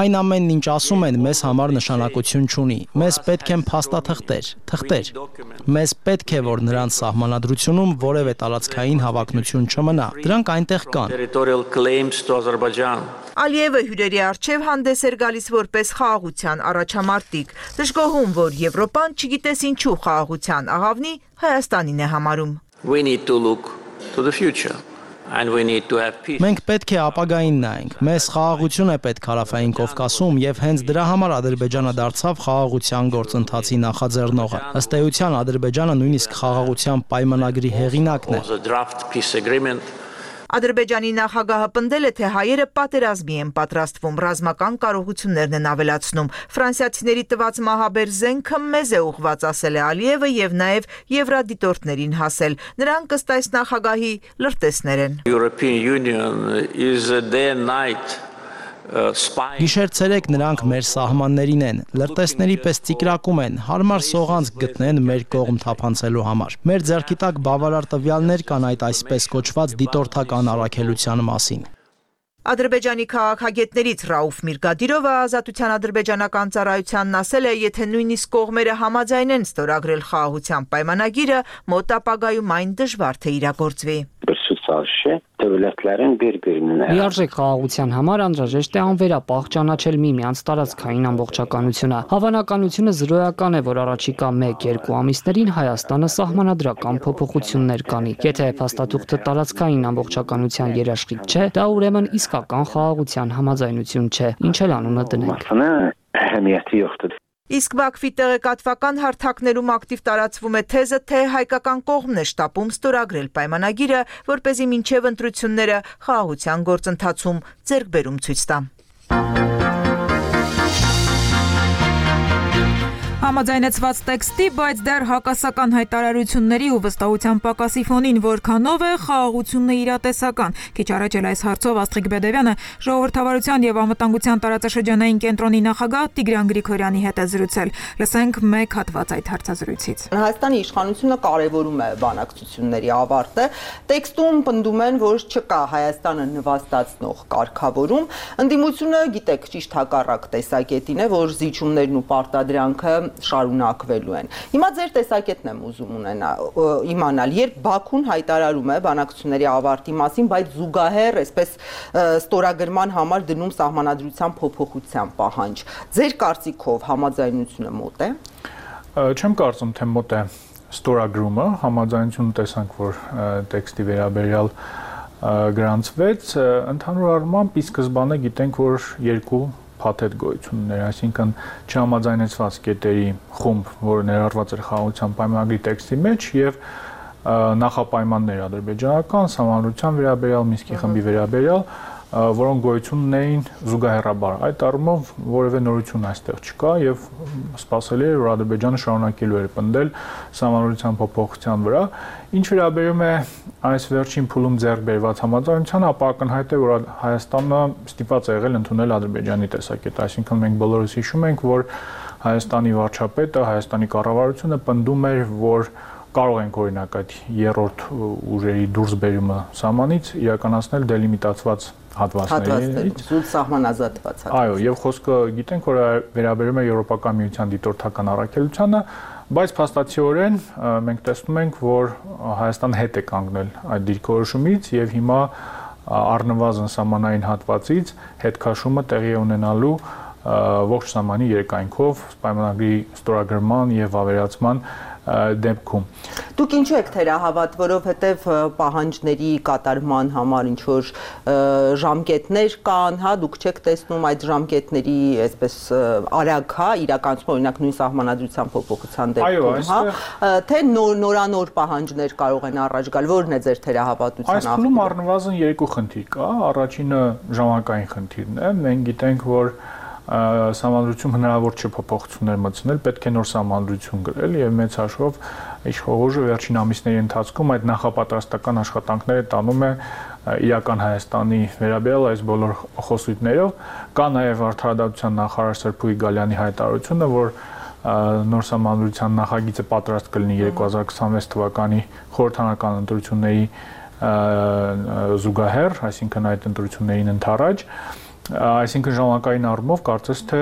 Այն ամենն, ինչ ասում են, մեզ համար նշանակություն չունի։ Մեզ պետք են փաստաթղթեր։ Մեզ պետք է, որ նրանց սահմանադրությունում որևէ տարածքային հավակնություն չմնա։ Դրանք այնտեղ կան։ Ալիևը հյուրերի առջև հանդես էր գալիս որպես խաղաղության առաջամարտիկ, դժգոհում, որ Եվրոպան չգիտես ինչու խաղաղության աղավնի Հայաստանին է համարում։ We need to look to the future and we need to have peace. Մենք պետք է ապագային նայենք։ Մեզ խաղաղություն է պետք Հարավային Կովկասում եւ հենց դրա համար Ադրբեջանը դարձավ խաղաղության գործընթացի նախաձեռնողը։ Ըստ էության Ադրբեջանը նույնիսկ խաղաղության պայմանագրի հեղինակն է։ Ադրբեջանի նախագահը պնդել է, թե հայերը պատերազմի են պատրաստվում, ռազմական կարողություններն են ավելացնում։ Ֆրանսիացիների տված մահաբեր զենքը մեզ է ուղղված, ասել է Ալիևը եւ նաեւ եվրադիտորդներին հասել։ Նրանք ըստ այս նախագահի լրտեսներ են։ European Union is a day and night Գիշեր-ցերեկ նրանք մեր սահմաններին են, լրտեսների պես ծիկրակում են, հարմար սողանց գտնեն մեր կողմ թափանցելու համար։ Մեր ձեռքի տակ բավարար տվյալներ կան այդ այսպես կոչված դիտորդական առաքելության մասին։ Ադրբեջանի քաղաքագետներից Ռաուֆ Միրգադիրովը Ազատության ադրբեջանական ծառայությանն ասել է, եթե նույնիսկ կողմերը համաձայնեն ստորագրել խաղաղության պայմանագիրը, մոտ ապագայում այն դժվար թե իրագործվի։ Լիարժեք խաղաղության համար անհրաժեշտ է անվերապահ ճանաչել միմյանց տարածքային ամբողջականությունը։ Հավանականությունը զրոյական է, որ առաջիկա 1-2 ամիսներին Հայաստանը սահմանադրական փոփոխություններ կանի։ Եթե փաստաթուղթը տարածքային ամբողջականության երաշխիք չէ, դա ուրեմն իսկական խաղաղության համաձայնություն չէ, ինչ էլ անունը դնենք։ Իսկ Բաքվի տեղեկատվական հարթակներում ակտիվ տարածվում է թեզը, թե հայկական կողմն է շտապում ստորագրել պայմանագիրը, որպեսզի մինչև ընտրությունները խաղաղության գործընթացում ձեռքբերում ցույց տա։ Համաձայնեցված տեքստի, բայց դեռ հակասական հայտարարությունների ու վստահության պակասի ֆոնին որքանով է խաղաղությունն իրատեսական։ Քիչ առաջ էլ այս հարցով Աստղիկ Բեդևյանը ժողովրդավարության եւ անվտանգության տարածաշրջանային կենտրոնի նախագահ Տիգրան Գրիգորյանի հետ է զրուցել։ Լսենք մեկ հատված այդ հարցազրույցից։ Հայաստանի իշխանությունը կարևորում է բանակցությունների ավարտը։ Տեքստում պնդում են, որ չկա Հայաստանը նվաստացնող կարգավորում։ Ընդդիմությունը, գիտեք, ճիշտ հակառակ տեսակետին է, որ զիջումներն ու պարտադրանքը շարունակվելու են։ Հիմա ձեր տեսակետն եմ ուզում իմանալ, երբ Բաքուն հայտարարում է բանակցությունների ավարտի մասին, բայց զուգահեռ այսպես ստորագրման համար դնում սահմանադրության փոփոխության պահանջ։ Ձեր կարծիքով համաձայնությունը մոտ է։ Չեմ կարծում, թե մոտ է ստորագրումը, համաձայնությունը տեսանք, որ տեքստի վերաբերյալ գրանցվեց, ընդհանուր առմամբ ի սկզբանե գիտենք, որ երկու փաթեթ գոյություն ուներ, այսինքն չհամաձայնեցված կետերի խումբ, որը ներառված էր խաղաղության պայմանագրի տեքստի մեջ եւ նախապայմաններ ադրբեջանական, սահմանադրության վերաբերյալ, Մինսկի խմբի վերաբերյալ, որոնք գոյություն ունեին զուգահեռաբար։ Այդ առումով որևէ նորություն այստեղ չկա եւ սպասելի է, որ Ադրբեջանը շարունակելու է պնդել սահմանադրության փոփոխության վրա։ Ինչ վերաբերում է այս վերջին փուլում ձեռք բերված համաձայնությանը, ապա ակնհայտ է, որ Հայաստանը ստիպված է եղել ընդունել Ադրբեջանի տեսակետը, այսինքն մենք բոլորս հիշում ենք, որ Հայաստանի վարչապետը, Հայաստանի կառավարությունը պնդում էր, որ կարող ենք օրինակ այդ երրորդ ուժերի դուրսբերումը սահմանից իրականացնել դելիմիտացված հատվածներից, զուտ սահմանազատված։ Այո, եւ խոսքը գիտենք, որ վերաբերում է Եվրոպական միության դիտորդական առաքելությանը, բայց փաստացիորեն մենք տեսնում ենք, որ Հայաստանը հետ է կանգնել այդ դիրքորոշումից եւ հիմա առնվազն սահմանային հատվածից հետքաշումը տեղի ունենալու ողջ սահմանի երկայնքով պայմանագրի ստորագրման եւ ավերացման դեպքում։ Դուք ինչու եք թերահավատ, որովհետև պահանջների կատարման համար ինչ որ ժամկետներ կան, հա, դուք չեք տեսնում այդ ժամկետների այսպես արագ, հա, իրականացում օրինակ նույն սահմանադրության փոփոխության դեպքում, հա, թե նորանոր պահանջներ կարող են առաջ գալ, որն է ձեր թերահավատության Այս փուլում առնվազն երկու խնդիր կա, առաջինը ժամանակային խնդիրն է, մենք գիտենք, որ Սահմանադրություն հնարավոր չէ փոփոխություններ մտցնել, պետք է նոր սահմանադրություն գրել եւ մեծ հաշվով իշխողոժը վերջին ամիսների ընթացքում այդ նախապատրաստական աշխատանքները տանում է իրական Հայաստանի վերաբերյալ այս բոլոր խոսույթներով, կա նաեւ Արդարադատության նախարար Սրփուի Գալյանի հայտարարությունը, որ նոր սահմանադրության նախագիծը պատրաստ կլինի 2026 թվականի խորհրդարանական ընտրությունների զուգահեռ, այսինքն այդ ընտրություններին ընդառաջ Այսինքն ժամանակային առումով կարծես թե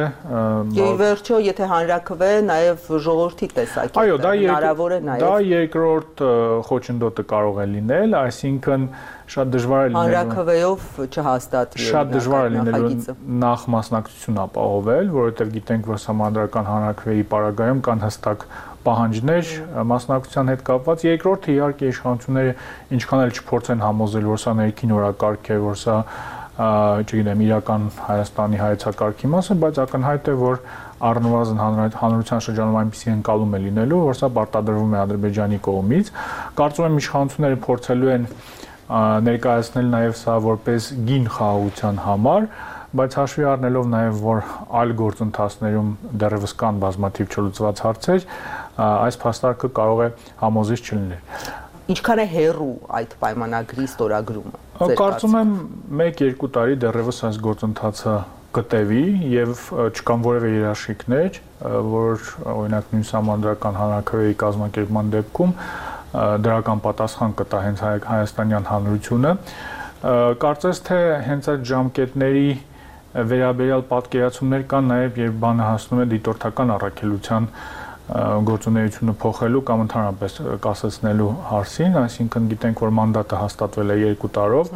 Եվ վերջո եթե հանրաքվե նաև ժողովրդի տեսակետը հնարավոր է նաև Դա երկրորդ խոչընդոտը կարող է լինել, այսինքն շատ դժվար է լինելու հանրաքվեով չհաստատվի Շատ դժվար է լինելու նախ մասնակցություն ապահովել, որովհետև գիտենք, որ համանդրական հանրաքվեի պարագայում կան հստակ պահանջներ մասնակցության հետ կապված, երկրորդը իհարկե իշխանությունները ինչքան էլ չփորձեն համոզել, որ սա ներքին օրակարգ է, որ սա չգիտեմ, իրական Հայաստանի հայեցակարգի մասը, բայց ակնհայտ է, որ առնվազն հանրության շրջանում այնպիսի ընկալում է լինելու, որ սա պարտադրվում է Ադրբեջանի կողմից։ Կարծում եմ իշխանությունները փորձելու են ներկայացնել նաև սա որպես գին խաղաղության համար, բայց հաշվի առնելով նաև, որ այլ գործընթացներում դեռևս կան բազմաթիվ չլուծված հարցեր, այս փաստարկը կարող է համոզիչ չլինել։ Ինչքան է հեռու այդ պայմանագրի ստորագրումը։ Կարծում եմ 1-2 տարի դեռևս այս գործընթացը կտևի եւ չկան որևէ երաշխիքներ, որ օրինակ նույն համանդրական հանրաքվեի կազմակերպման դեպքում դրական պատասխան կտա հենց հայաստանյան հանրությունը։ Կարծես թե հենց այդ ժամկետների վերաբերյալ պատկերացումներ կան նաեւ երբ բանը հասնում է դիտորդական առաքելության գործունեությունը փոխելու կամ ընդհանրապես կասեցնելու հարցին, այսինքն գիտենք, որ մանդատը հաստատվել է 2 տարով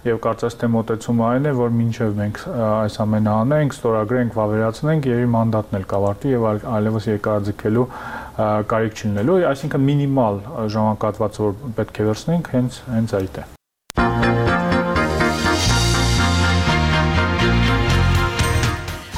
եւ կարծես թե մոտեցումը այն է, որ մինչեւ մենք այս ամենը անենք, ստորագրենք, վավերացնենք, եւ մանդատն էլ կավարտվի եւ այլևս երկարաձգելու կարիք չլինելու, այսինքն մինիմալ ժամանակահատվածը, որ պետք է վերցնենք, հենց այդ է։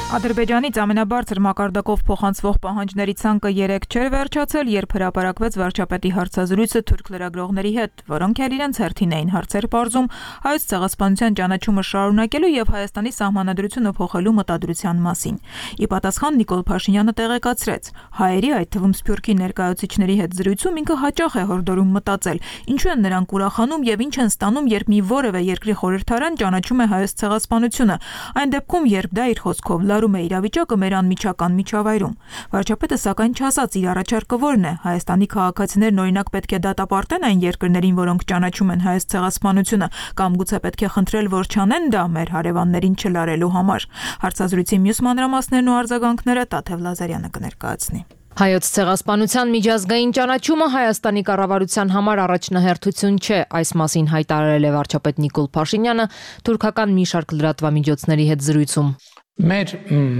Ադրբեջանից ամենաբարձր մակարդակով փոխանցվող պահանջների ցանկը 3 չէր վերջացել, երբ հրապարակվեց վարչապետի հարցազրույցը թուրք լրագրողների հետ, որոնք էլ իրենց հերթին էին հարցեր պարզում հայոց ցեղասպանության ճանաչումը շարունակելու եւ Հայաստանի սահմանադրությունը փոխելու մտադրության մասին։ Ի պատասխան Նիկոլ Փաշինյանը տեղեկացրեց. հայերի, այդ թվում Սփյուռքի ներկայացուցիչների հետ զրույցում ինքը հաճախ է հորդորում մտածել, ինչու են նրանք ուրախանում եւ ինչ են ստանում, երբ մի որևէ երկրի խորհրդարան ճանաչում է հայոց ցեղասպանությունը, այն դեպքում, երբ դա իր խոսքով լարում է իրավիճակը մեր անմիջական միջավայրում։ Վարչապետը սակայն չասաց իր առաջարկը որն է։ Հայաստանի քաղաքացիներն օրինակ պետք է դատապարտեն այն երկրներին, որոնք ճանաչում են հայոց ցեղասպանությունը, կամ գուցե պետք է խնդրել, որ չանեն դա մեր հարևաններին չլարելու համար։ Հարցազրույցի մյուս մանրամասներն ու արձագանքները Տաթև Լազարյանը կներկայացնի։ Հայոց ցեղասպանության միջազգային ճանաչումը Հայաստանի կառավարության համար առաջնահերթություն չէ, այս մասին հայտարարել է վարչապետ Նիկոլ Փաշինյանը թուրքական մի շարք լրատվամիջոցների հետ զրույցում։ Մեր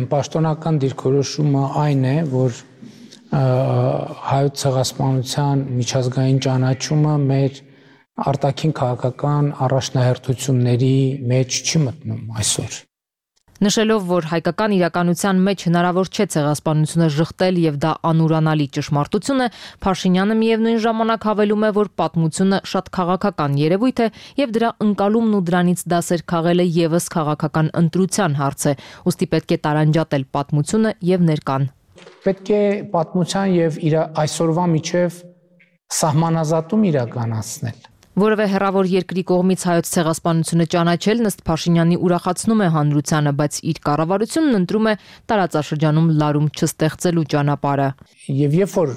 պաշտոնական դիրքորոշումը այն է, որ հայոց ցեղասպանության միջազգային ճանաչումը մեր արտաքին քաղաքական առաջնահերթությունների մեջ չի մտնում այսօր։ Նշելով, որ հայկական իրականության մեջ հնարավոր չէ ցեղասպանությունը շղթել եւ դա անուրանալի ճշմարտություն է, Փաշինյանը միևնույն ժամանակ հավելում է, որ պատմությունը շատ քաղաքական երևույթ է եւ դրա ընկալումն ու դրանից դասեր քաղելը եւս քաղաքական ընտրության հարց է, ուստի պետք է տարանջատել պատմությունը եւ ներկան։ Պետք է պատմության եւ իր այսօրվա միջև սահմանազատում իրականացնել։ Որևէ հեռավոր երկրի կողմից հայոց ցեղասպանությունը ճանաչելն ըստ Փաշինյանի ուրախացնում է հանրությանը, բայց իր կառավարությունն ընտրում է տարածաշրջանում լարում չստեղծելու ճանապարհը։ Եվ երբ որ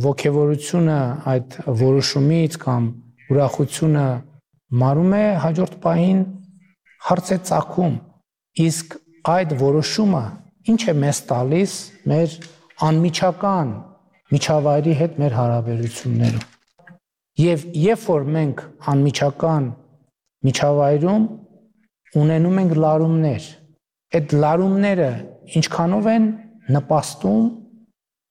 ողջավորությունը այդ որոշումից կամ ուրախությունը մարում է, հաջորդ պահին հարց է ծագում, իսկ այդ որոշումը ինչ է մեզ տալիս մեր անմիջական միջավայրի հետ մեր հարաբերություններում։ Եվ երբ որ մենք անմիջական միջավայրում ունենում ենք լարումներ։ Այդ լարումները ինչքանով են նպաստում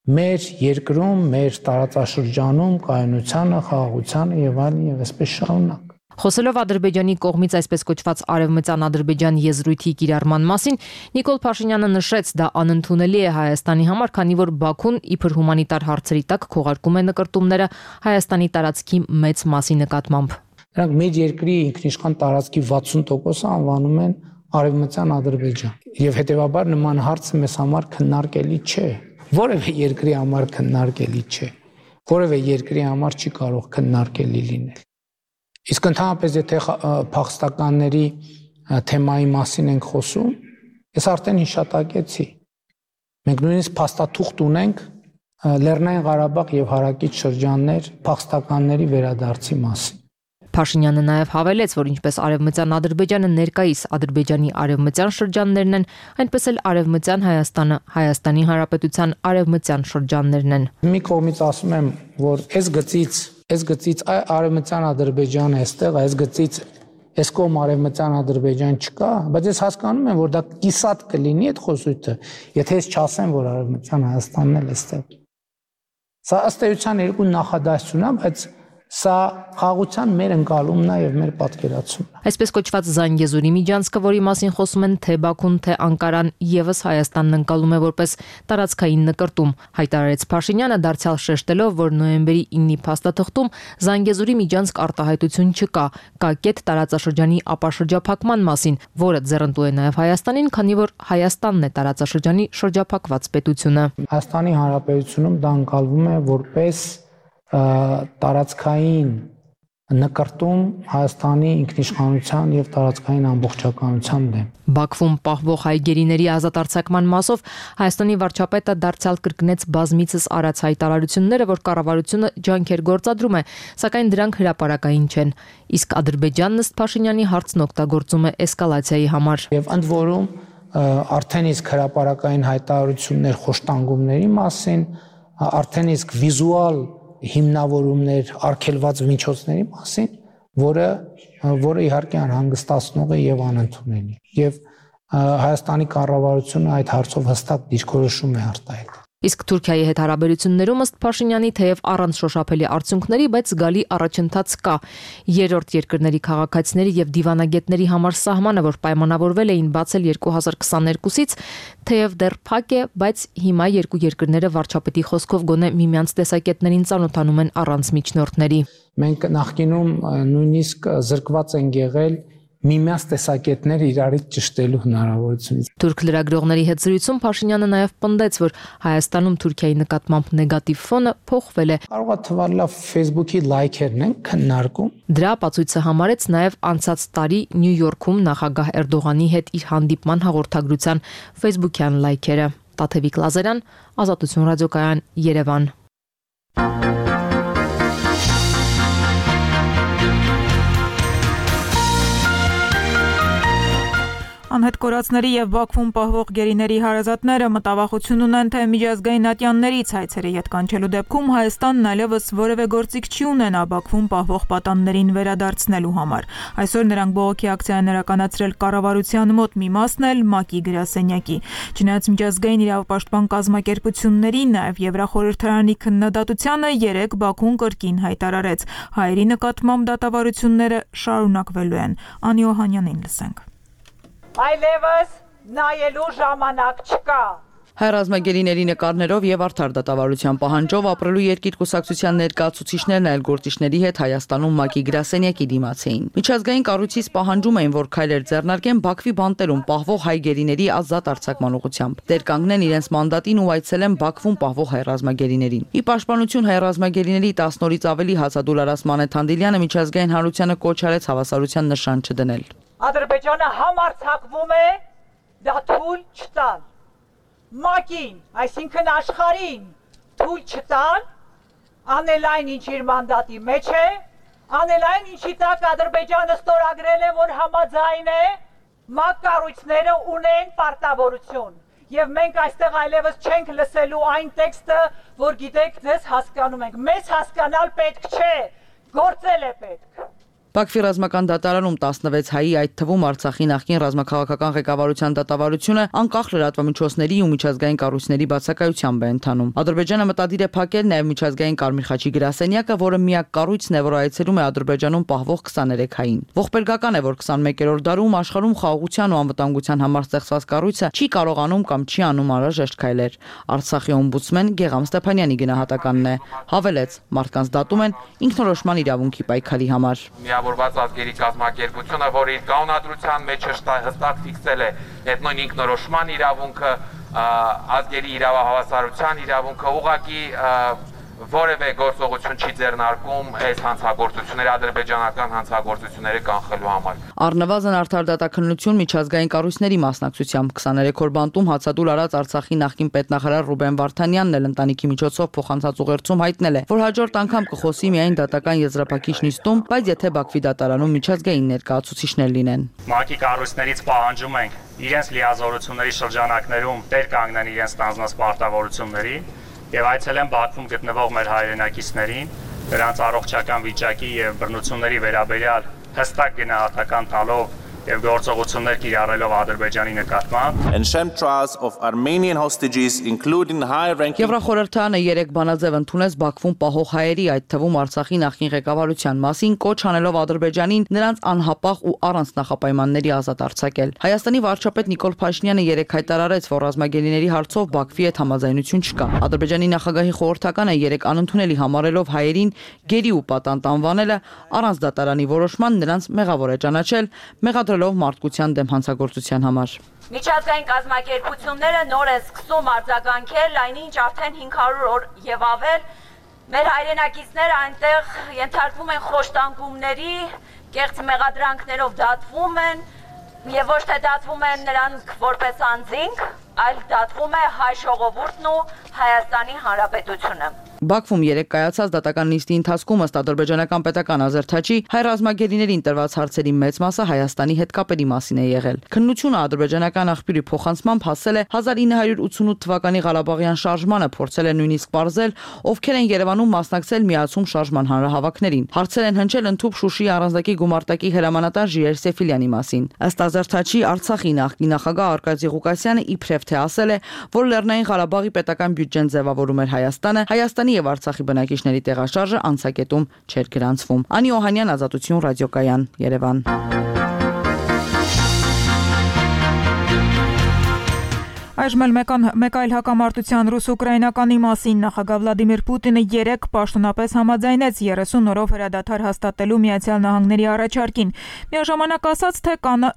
մեր երկրում, մեր տարածաշրջանում կայունությանը, խաղաղությանը եւ այլն եւ այսպես շարունակ։ Խոսելով Ադրբեջանի կողմից այսպես կոչված Արևմտյան Ադրբեջան եզրույթի կիրառման մասին, Նիկոլ Փաշինյանը նշեց, դա անընդունելի է Հայաստանի համար, քանի որ Բաքուն իբր հումանիտար հարցերի տակ քողարկում է նկրտումները Հայաստանի տարածքի մեծ մասի նկատմամբ։ Նրանք մեր երկրի ինքնիշխան տարածքի 60%-ը անվանում են Արևմտյան Ադրբեջան, եւ հետեւաբար նման հարցը մեզ համար քննարկելի չէ։ Որևէ երկրի համար քննարկելի չէ։ Որևէ երկրի համար չի կարող քննարկելի լինել։ Իսկ ընդհանրապես եթե փախստականների թեմայի մասին ենք խոսում, ես արդեն հիշատակեցի։ Մենք նույնիսկ փաստաթուղթ ունենք Լեռնային Ղարաբաղ եւ հարակից շրջաններ փախստականների վերադարձի մասին։ Փաշինյանը նաև հավելեց, որ ինչպես Արևմտյան Ադրբեջանը ներկայիս Ադրբեջանի արևմտյան շրջաններն են, այնպես էլ Արևմտյան Հայաստանը Հայաստանի Հանրապետության արևմտյան շրջաններն են։ Մի կողմից ասում եմ, որ այս գծից Արևմտյան Ադրբեջանը էստեղ, այս գծից այս կողմ Արևմտյան Ադրբեջան չկա, բայց ես հասկանում եմ, որ դա կիսատ կլինի այդ խոսույթը, եթե ես չասեմ, որ Արևմտյան Հայաստանն էլ էստեղ։ Սա ըստ էության երկու նախադասություն է, բայց սա խաղաղության մեր ընկալումն է եւ մեր պատկերացումն է։ Այսպես կոչված Զանգեզուրի միջանցքը, որի մասին խոսում են թե Բաքուն, թե Անկարան, եւս Հայաստանն ընկալում է որպես տարածքային նկրտում, հայտարարեց Փաշինյանը, դարձյալ շեշտելով, որ նոյեմբերի 9-ի փաստաթղթում Զանգեզուրի միջանցք արտահայտություն չկա, կա կետ տարածաշրջանի ապաշրջափակման մասին, որը ձեռնտու է նաեւ Հայաստանին, քանի որ Հայաստանն է տարածաշրջանի շրջափակված պետությունը։ Հայաստանի Հանրապետությունում դա ընկալվում է որպես տարածքային նկրտում Հայաստանի ինքնիշխանության եւ տարածքային ամբողջականության դեմ։ Բաքվում պահվող հայ գերիների ազատ արձակման մասով Հայաստանի վարչապետը դարձյալ կրկնեց բազմիցս արած հայտարարությունները, որ կառավարությունը ջանքեր գործադրում է, սակայն դրանք հրապարակային չեն։ Իսկ Ադրբեջանն ըստ Փաշինյանի հարցն օգտագործում է էսկալացիայի համար։ Եվ ընդ որում արդեն իսկ հրապարակային հայտարարություններ խոշտանգումների մասին, արդեն իսկ վիզուալ հիմնավորումներ արգելված միջոցների մասին, որը իհարկե անհանգստացնող է եւ անընդունելի։ Եվ Հայաստանի կառավարությունը այդ հարցով հստակ դիրքորոշում է արտահայտել։ Իսկ Թուրքիայի հետ հարաբերություններում ըստ Փաշինյանի թեև առանց շոշափելի արդյունքների, բայց զգալի առաջընթաց կա։ Երրորդ երկրների քաղաքացիների եւ դիվանագետների համար սահմանը, որ պայմանավորվել էին բացել 2022-ից, թեև դեռ փակ է, բայց հիմա երկու երկրները վարչապետի խոսքով գոնե միմյանց տեսակետներին ծանոթանում են առանց միջնորդների։ Մենք նախկինում նույնիսկ զրկված ենք եղել միմյանց տեսակետները իրարից ճշտելու հնարավորությունից։ Թուրք լրագրողների հետ զրույցում Փաշինյանը նաև պնդեց, որ Հայաստանում Թուրքիայի նկատմամբ նեգատիվ ֆոնը փոխվել է։ Կարող է թվալ լավ Facebook-ի լայքերն են քննարկում։ Դրա ապացույցը համարեց նաև անցած տարի Նյու Յորքում նախագահ Էրդողանի հետ իր հանդիպման հաղորդագրության Facebook-յան լայքերը։ Տաթևիկ Լազարյան, Ազատություն ռադիոկայան, Երևան։ Անհետ կորածների եւ Բաքվում պահվող գերիների հարազատները մտավախություն ունեն, թե միջազգային ատյաններից հայցերը ետ կանչելու դեպքում Հայաստանն այլևս որևէ գործիք չի ունենա Բաքվում պահվող պատաններին վերադարձնելու համար։ Այսօր նրանք բողոքի ակցիա են իրականացրել կառավարության մոտ, մի մասն էլ ՄԱԿ-ի գրասենյակի։ Չնայած միջազգային իրավապաշտպան կազմակերպությունների, նաեւ Եվրախորհրդարանի քննադատությանը 3 Բաքուն կրկին հայտարարեց, հայերի նկատմամբ դատավարությունները շարունակվելու են։ Անի Օհանյանին լսենք։ Այլևս նայելու ժամանակ չկա։ Հայրազմագերիների նկարներով եւ արդար դատավարության պահանջով ապրելու երկիր կուսակցության ներկայացուցիչներն այլ գործիչների հետ Հայաստանում ՄԱԿ-ի գրասենյակի դիմաց էին։ Միջազգային կառույցից պահանջում էին, որ քայլեր ձեռնարկեն Բաքվի բանտերում պահվող հայ գերիների ազատ արձակման ուղղությամբ։ Դեր կանգնեն իրենց մանդատին ու այցելեն Բաքվում պահվող հայրազմագերիներին։ Ի պաշտպանություն հայրազմագերիների 10 օրից ավելի հացադուլարած Մանեթ Հանդիլյանը միջազգային հանրությանը կոչ արեց հավասարության նշան չդնել։ Ադրբեջանը համարձակվում է դա թույլ չտալ։ ՄԱԿ-ին, այսինքն աշխարհին թույլ չտալ, անել այն, ինչ իր մանդատի մեջ է, անել այն, ինչի տակ Ադրբեջանը ստորագրել է, որ համաձայն է, ՄԱԿ կառույցները ունեն պարտավորություն։ Եվ մենք այստեղ այլևս չենք լսելու այն տեքստը, որ գիտեք, ձեզ հասկանում ենք։ Մեզ հասկանալ պետք չէ, գործել է պետք։ Բաքվի ռազմական դատարանում 16 հայի, այդ թվում Արցախի նախկին ռազմաքաղաքական ղեկավարության դատավարությունը անկախ լրատվամիջոցների ու միջազգային կառույցների բացակայությամբ է ընթանում։ Ադրբեջանը մտադիր է փակել նաև միջազգային Կարմիր խաչի գրասենյակը, որը միակ կառույցն է, որ այցելում է Ադրբեջանում պահվող 23 հային։ Ողբերգական է, որ 21-րդ դարում աշխարհում խաղաղության ու անվտանգության համար ստեղծված կառույցը չի կարողանում կամ չի անում անհրաժեշտ քայլեր։ Արցախի օմբուդսմեն Գեգամ Ստեփանյանի գնահատականն է։ Հավելեց, մարդկանց դատում են ինքնորոշման իրավունքի պայքարի համար։ Միավորված ազգերի կազմակերպությունը, որը իր կանոնադրության մեջ հստակ ֆիքսել է այդ նույն ինքնորոշման իրավունքը, ազգերի իրավահավասարության իրավունքը, ուղղակի որևէ գործողություն չի ձեռնարկում այս հանցագործությունները, ադրբեջանական հանցագործությունները կանխելու համար։ Առնվազն արդար դատաքննություն միջազգային կառույցների մասնակցությամբ 23-րդ բանտում հացադուլ արած Արցախի նախկին պետնախարար Ռուբեն Վարդանյանն էլ ընտանիքի միջոցով փոխանցած ուղերձում հայտնել է, որ հաջորդ անգամ կխոսի միայն դատական եզրափակիչ նիստում, բայց եթե Բաքվի դատարանում միջազգային ներկայացուցիչներ լինեն։ ՄԱԿ-ի կառույցներից պահանջում ենք իրենց լիազորությունների շրջանակներում տեր կանգնեն իրենց ստանձնած պարտավորությունների եւ այցելեն Բաքվում գտնվող մեր հայրենակիցներին, նրանց առողջական վիճակի եւ բռնությունների վերաբերյալ հստակ գնահատական տալով եւ գործողություններ կիրառելով Ադրբեջանի նկատմամբ and sham trials of Armenian hostages including high-ranking Եվրախորհրդանը 3 բանաձև ընդունեց Բաքվում պահող հայերի, այդ թվում Արցախի նախկին ղեկավարության մասին, կոչ անելով Ադրբեջանին նրանց անհապաղ ու առանց նախապայմանների ազատ արձակել։ Հայաստանի վարչապետ Նիկոլ Փաշինյանը 3 հայտարարեց, որ ռազմագերիների հարցով Բաքվի հետ համաձայնություն չկա։ Ադրբեջանի նախագահի խորհրդականը 3 անընդունելի համարելով հայերին գերի ու պատանդ անվանելը առանց դատարանի որոշման նրանց մեղավոր է ճանաչել, մեղադրելով մարդկության դեմ հանցագործության համար։ Միջազգային կազմակերպությունները նոր են սկսում արձագանքել, այնինչ արդեն 500 օր եւ ավել մեր հայրենակիցները այնտեղ ենթարկվում են խոշտանգումների, կեղծ մեղադրանքներով դատվում են եւ ոչ թե դատվում են նրանք որպես անձինք, այլ դատվում է հայ ժողովուրդն ու Հայաստանի Հանրապետությունը։ Բաքվում 3 կայացած դատական նիստի ընթացքում ըստ ադրբեջանական պետական ազերթաչի հայ ռազմագերիներին տրված հարցերի մեծ մասը Հայաստանի հետ կապերի մասին է եղել։ Քննությունը ադրբեջանական աղբյուրի փոխանցմամբ հասել է 1988 թվականի Ղարաբաղյան շարժմանը, փորձել է նույնիսկ ողջել, ովքեր են Երևանում մասնակցել միացում շարժման հանրահավաքներին։ Հարցեր են հնչել ընդհուպ Շուշիի առանձնակի գումարտակի հրամանատար Ժիրայր Սեֆիլյանի մասին։ Ըստ ազերթաչի Արցախի նախկին նախագահ Արկադի Ղուկասյանը իբրև թե ասել է, որ Լեռնային Ղարաբաղի պետական բյուջեն ձևավորում էր Հայաստանի եւ Արցախի բնակիչների տեղաշարժը անցակետում չէր գրանցվում։ Անի Օհանյան, Ազատություն ռադիոկայան, Երևան։ Այժմ մեկ այլ հակամարտության ռուս-ուկրաինականի մասին նախագահ Վլադիմիր Պուտինը 3 պաշտոնապես համաձայնեց 30 օրով հրադադար հաստատելու Միացյալ Նահանգների առաջարկին։ Միաժամանակ ասաց, թե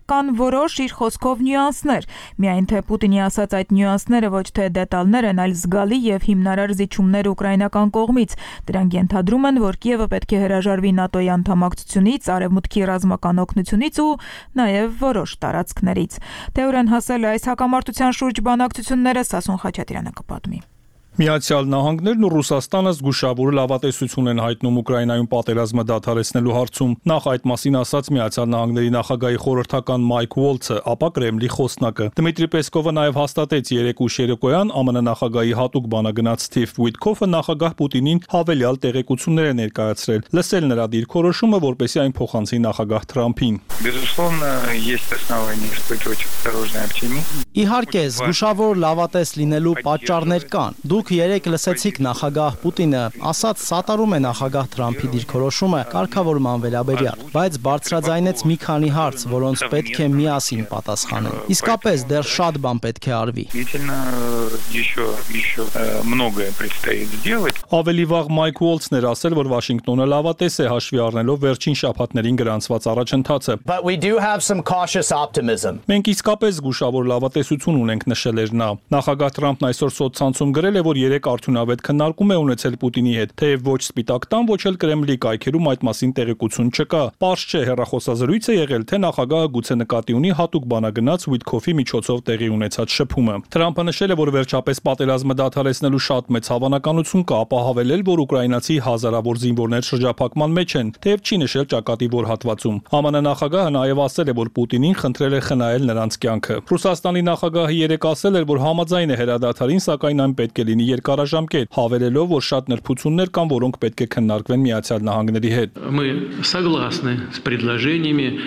կան որոշ իր խոսքով նյուանսներ, միայն թե Պուտինի ասած այդ նյուանսները ոչ թե դետալներ են, այլ զգալի եւ հիմնարար զիջումներ ուկրաինական կողմից։ Դրանք ենթադրում են, որ Կիևը պետք է հրաժարվի ՆԱՏՕ-ի անդամակցությունից, արևմուտքի ռազմական օգնությունից ու նաեւ որոշ տարածքներից։ Թե ուր են հասել այս հակամարտության շուրջ բանակցությունները Սասուն Խաչատրյանը կպատմի։ Միացյալ Նահանգներն ու Ռուսաստանը զգուշավոր լավատեսություն են հայտնում Ուկրաինայում պատերազմը դադարեցնելու հարցում։ Նախ այդ մասին ասաց Միացյալ Նահանգների նախագահի խորհրդական Մայք Ուոլցը, ապա Կրեմլի խոսնակը։ Դմիտրի Պեսկովը նաև հաստատեց երեկույթ երեկոյան ԱՄՆ նախագահի հատուկ բանագնաց Սթիվ Ուիտքոֆը նախագահ Պուտինին հավելյալ տեղեկություններ է ներկայացրել։ Լսել նրա դիրքորոշումը, որպեսզի այն փոխանցի նախագահ Թրամփին։ Իհարկե, զգուշավոր լավատես լինելու պատճառներ կան։ Դուք երեք լսեցիք նախագահ Պուտինը ասաց սատարում է նախագահ Թրամփի դիրքորոշումը կարգավորման վերաբերյալ, բայց բարձրաձայնեց մի քանի հարց, որոնց պետք է միասին պատասխանեն։ Իսկապես դեռ շատ բան պետք է արվի։ Ավելի վաղ Մայք Ուոլցն էր ասել, որ Վաշինգտոնը լավատես է հաշվի առնելով վերջին շաբաթներին գրանցված առաջընթացը։ Մենք իսկապես զգուշավոր լավատեսություն ունենք, նշել էր նա։ Նախագահ Թրամփն այսօր սոցցանցում գրել է, որ 3 արդյունավետ քննարկում է ունեցել Պուտինի հետ, թեև ոչ Սպիտակ տան, ոչ էլ Կրեմլի կայքերում այդ մասին տեղեկություն չկա։ Պարզ չէ հեռախոսազրույց է եղել, թե նախագահը գուցե նկատի ունի հատուկ բանագնաց Ուիտքոֆի միջոցով տեղի ունեցած շփումը։ Թրամփը նշել է, որ վերջապես պատերազմը դադարեցնելու շատ մեծ հավանականություն կա, ապա հավելել, որ ուկրաինացի հազարավոր զինվորներ շրջափակման մեջ են, թեև չի նշել ճակատի որ հատվածում։ ԱՄՆ նախագահը նաև ասել է, որ Պուտինին խնդրել է խնայել նրանց կյանքը։ Ռուսաստանի նախագահը երեկ ասել էր, որ համաձայն է հրադադարին, սակայն այն պետք է լինի կլինի երկարաժամկետ, հավելելով, որ շատ նրբություններ կան, որոնք պետք է քննարկվեն Միացյալ Նահանգների հետ։ Мы согласны с предложениями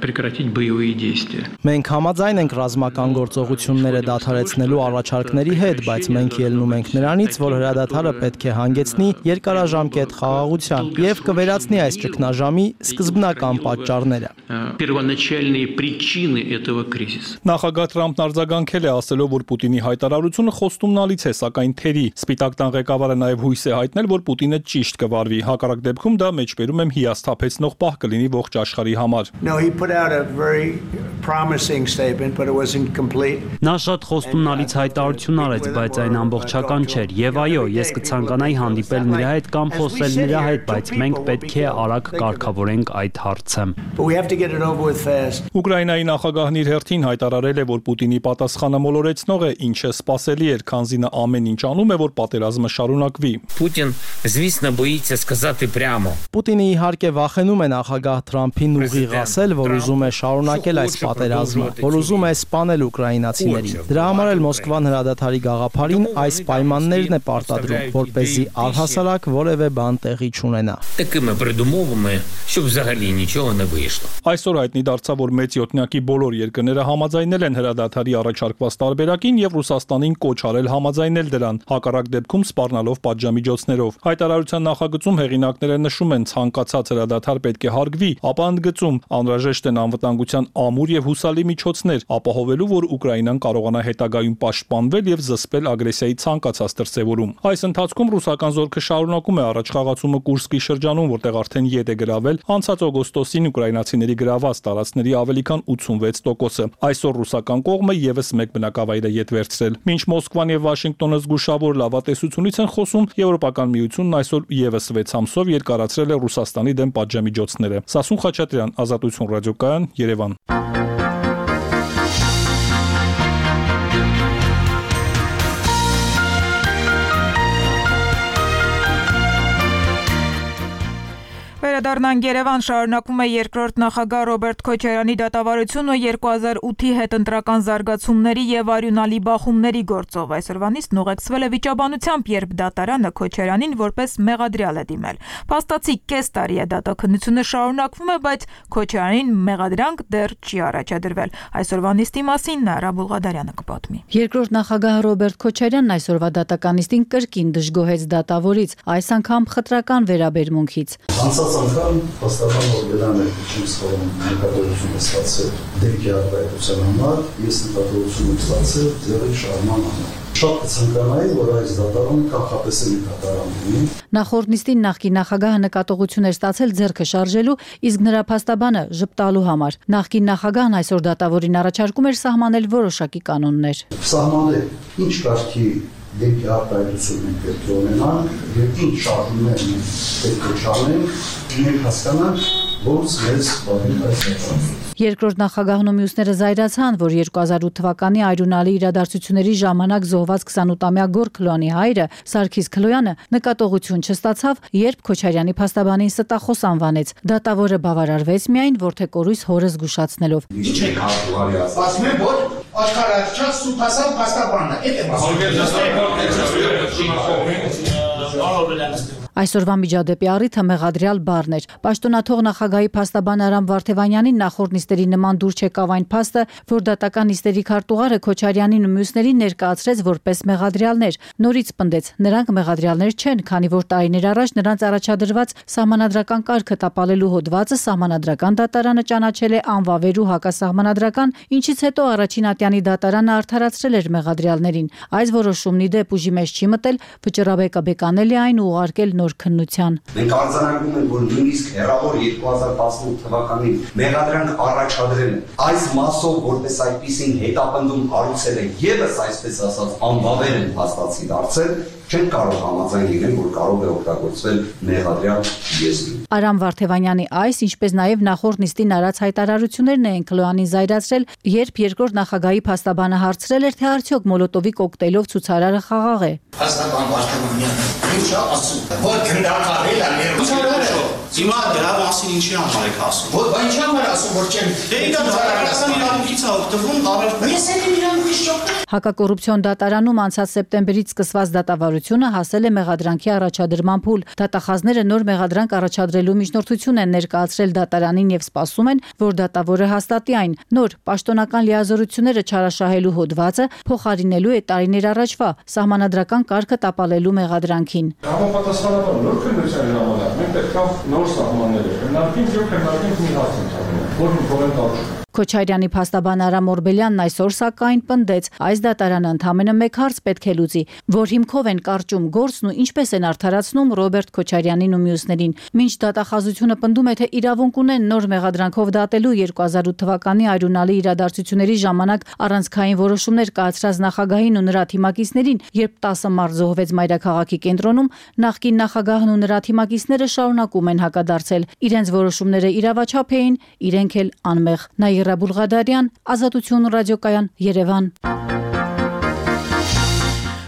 прекратить боевые действия. Մենք համաձայն ենք ռազմական գործողությունները դադարեցնելու առաջարկների հետ, բայց մենք ելնում ենք նրանից, որ հրադադարը պետք է հանգեցնի երկարաժամկետ խաղաղության եւ կվերացնի այս ճգնաժամի սկզբնական պատճառները։ Первоначальные причины этого кризиса. Նախագահ Թրամփն արձագանքել է, ասելով, որ Պուտինի հայտարարությունը խոստումնալից է, սակայն թերի։ Սպիտակ տան ղեկավարը նաև հույս է հայտնել, որ Պուտինը ճիշտ կվարվի։ Հակառակ դեպքում դա մեջբերում եմ հիասթափեցնող պահ կլինի ողջ աշխարհի համար։ No, he put out a very promising statement, but it wasn't complete. Նա շատ խոստումնալից հայտարարություն արեց, բայց այն ամբողջական չէր։ Եվ այո, ես կցանկանայի հանդիպել նրա հետ կամ խոսել նրա հետ, բայց մենք պետք է արագ կարգավորենք այդ հարցը։ But we have to get it over with fast. Ուկրաինայի նախագահն իր հերթին հայտարարել է, որ Պուտինի պատասխանը մոլորեցնող է, ինչը սպասելի էր, քանզի նա ամեն ինչ անում է, որ պատերազմը շարունակվի։ Путин, звісно, боїться сказати прямо. Պուտինը իհարկե վախենում է նախագահ Թրամփին ուղիղ ասել, որ ուզում է շարունակել այս պատերազմը, որ ուզում է սպանել ուկրաինացիներին։ Դրա համար էլ Մոսկվան հրադադարի գաղափարին այս պայմաններն է պարտադրում, որպեսզի առհասարակ որևէ բան տեղի չունենա։ Такими передумовами, щоб взагалі нічого не вийшло. Այսօր հայտնի դարձավ, որ մեծ յոթնյակի բոլոր երկրները համաձայնել են հրադադարի առաջարկված տարբերակին եւ Ռուսաստանին կոչ արել համաձայնել դրան, հակառակ դեպքում սպառնալով պատժամիջոցներով։ Հայտարարության նախագծում հեղինակները նշում են, ցանկացած հրադադար պետք է հարգվի, ապա ընդգծում անհրաժեշտ են անվտանգության ամուր եւ հուսալի միջոցներ, ապահովելու, որ Ուկրաինան կարողանա հետագայում պաշտպանվել եւ զսպել ագրեսիայի ցանկացած դրսեւորում։ Այս ընթացքում ռուսական զորքը շարունակում է առաջխաղացումը Կուրսկի շրջանում, որտեղ արդեն ետ է գրավել անցած օգոստոսին ուկրաինացիների գրաված տարածքների ավելի քան 86%-ը։ Այսօր ռուսական կողմը եւս մեկ բնակավայր է ետ վերցրել։ Մինչ Մոսկվան եւ Վաշինգտոնը զգուշավոր լավատեսությունից են խոսում, Եվրոպական միությունն այսօր եւս 6 ամսով երկարացրել է Ռուսաստանի դեմ պատժամիջոցները։ Սասուն Խաչատրյան, Ազատություն ռադիոկայան, Երևան։ Վերադառնանք Երևան, շարունակվում է երկրորդ նախագահ Ռոբերտ Քոչարյանի դատավարությունը 2008-ի հետընտրական զարգացումների եւ արյունալի բախումների գործով։ Այսօրվանից ուղեկցվել է վիճաբանությամբ, երբ դատարանը Քոչարյանին որպես մեղադրյալ է դիմել։ Փաստացի կես տարի է դատաքննությունը շարունակվում է, բայց Քոչարյանին մեղադրանք դեռ չի առաջադրվել։ Այսօրվա նիստի մասին Նաիրա Բուլղադարյանը կպատմի։ Երկրորդ նախագահ Ռոբերտ Քոչարյանն այսօրվա դատականիստին կրկին դժգոհեց դատավորից, այս անգամ խտրական վերաբերմունքից։ Անգամ հաստատան որ գնան եք չեմ սխալվում նկատողություն ստացել դեպքի արտահայտության համար, ես նկատողություն ստացել ձեռի շարժման համար։ Շատ կցանկանայի, որ այս դատարանը կախապես է դատարանում։ Նախորդ նիստին նախկին նախագահը նկատողություն էր ստացել ձեռքը շարժելու, իսկ նրա փաստաբանը ժպտալու համար։ Նախկին նախագահն այսօր դատավորին առաջարկում էր սահմանել որոշակի կանոններ։ Սահմանել ինչ կարգի դեպքի արտահայտություն մենք պետք է ունենանք եւ ինչ շարժումներ պետք է չանենք, մենք հասկանանք, ոնց մեզ բավին այս դեպքում։ Երկրորդ նախագահն ու մյուսները զայրացան, որ 2008 թվականի արյունալի իրադարձությունների ժամանակ զոհված 28-ամյա Գոր Քլոյանի հայրը Սարգիս Քլոյանը նկատողություն չստացավ, երբ Քոչարյանի փաստաբանին ստախոս անվանեց։ Դատավորը բավարարվեց միայն որդեկորույս հորը զգուշացնելով։ Ինչ եք հաղթուարի ասում։ Ասում եմ, որ աշխարհաչած սուփասան փաստաբանն է, Այսօրվա միջադեպի առիթը մեղադրյալ բառն էր։ Պաշտոնաթող նախագահի փաստաբան Արամ Վարդևանյանին նախորդ նիստերի նման դուր չեկավ այն փաստը, որ դատական նիստերի քարտուղարը Քոչարյանին ու մյուսներին ներկայացրեց որպես մեղադրյալներ։ Նորից պնդեց, նրանք մեղադրյալներ չեն, քանի որ տարիներ առաջ նրանց առաջադրված սահմանադրական կարգը տապալելու հոդվածը սահմանադրական դատարանը ճանաչել է անվավեր ու հակասահմանադրական, ինչից հետո առաջին ատյանի դատարանը արդարացրել էր մեղադրյալներին։ Այս որոշումն ի դեպ ուժի մեջ չի մտել, վճռաբեկը բեկանել է այն ու ուղարկել նոր քննության։ Մենք արձանագրում ենք, որ նույնիսկ հեռավոր 2018 թվականին մեղադրանք առաջադրել են։ Այս մասով որպես այդպիսին հետապնդում կառուցել է եւս այսպես ասած անվավեր են փաստացի դարձել, չեն կարող համաձայն լինել, որ կարող է օգտագործվել մեղադրյալ եզրը։ Արամ Վարդևանյանի այս, ինչպես նաև նախորդ նիստին արած հայտարարություններն են Քլոյանին զայրացրել, երբ երկրորդ նախագահի փաստաբանը հարցրել էր, թե արդյոք մոլոտովի կոկտեյլով ցուցարարը խաղաղ է։ Փաստաբան Վարդևանյանը ինչ ասում, որ գնդակարել է Հիմա դրա մասին ինչի համար եք ասում։ Ոչ ինչի համար ասում, որ չեմ։ Դե իրա դատարանական իրավունքից է օգտվում, ես էլ իրավունքից չօգտվում։ Հակակոռուպցիոն դատարանում անցած սեպտեմբերից սկսված դատավարությունը հասել է մեղադրանքի առաջադրման փուլ։ Դատախազները նոր մեղադրանք առաջադրելու միջնորդություն են ներկայացրել դատարանին եւ սպասում են, որ դատավորը հաստատի այն։ Նոր պաշտոնական լիազորությունները չարաշահելու հոդվածը փոխարինելու է տարիներ առաջվա սահմանադրական կարգը տապալելու մեղադրանքին։ Համապատասխանաբար նոր քննության ժամանակ մենք պետք է նոր սահմաններ քննարկենք մի հարց ընդհանրապես, որը փոխել տալու։ Քոչարյանի փաստաբան Արամ Օրբելյանն այսօր սակայն պնդեց, այս դատարանը ընդամենը մեկ հարց պետք է լուծի, որ հիմքով են կարճում գործն ու ինչպես են արդարացնում Ռոբերտ Քոչարյանին ու մյուսներին։ Մինչ դատախազությունը պնդում է, թե իրավունք ունեն նոր մեղադրանքով դատելու 2008 թվականի այրունալի իրադարձությունների ժամանակ առանցքային որոշումներ կայացրած նախագահին ու նրա թիմակիցներին, երբ 10 մարդ զոհվեց մայրաքաղաքի կենտրոնում, նախկին նախագահն ու նրա թիմակիցները շարունակում են հակադարձել։ Իրենց որոշումները իրավաչափ էին, իրենք էլ անմեղ։ Նաիրա Բուլղադարյան, Ազատություն ռադիոկայան, Երևան։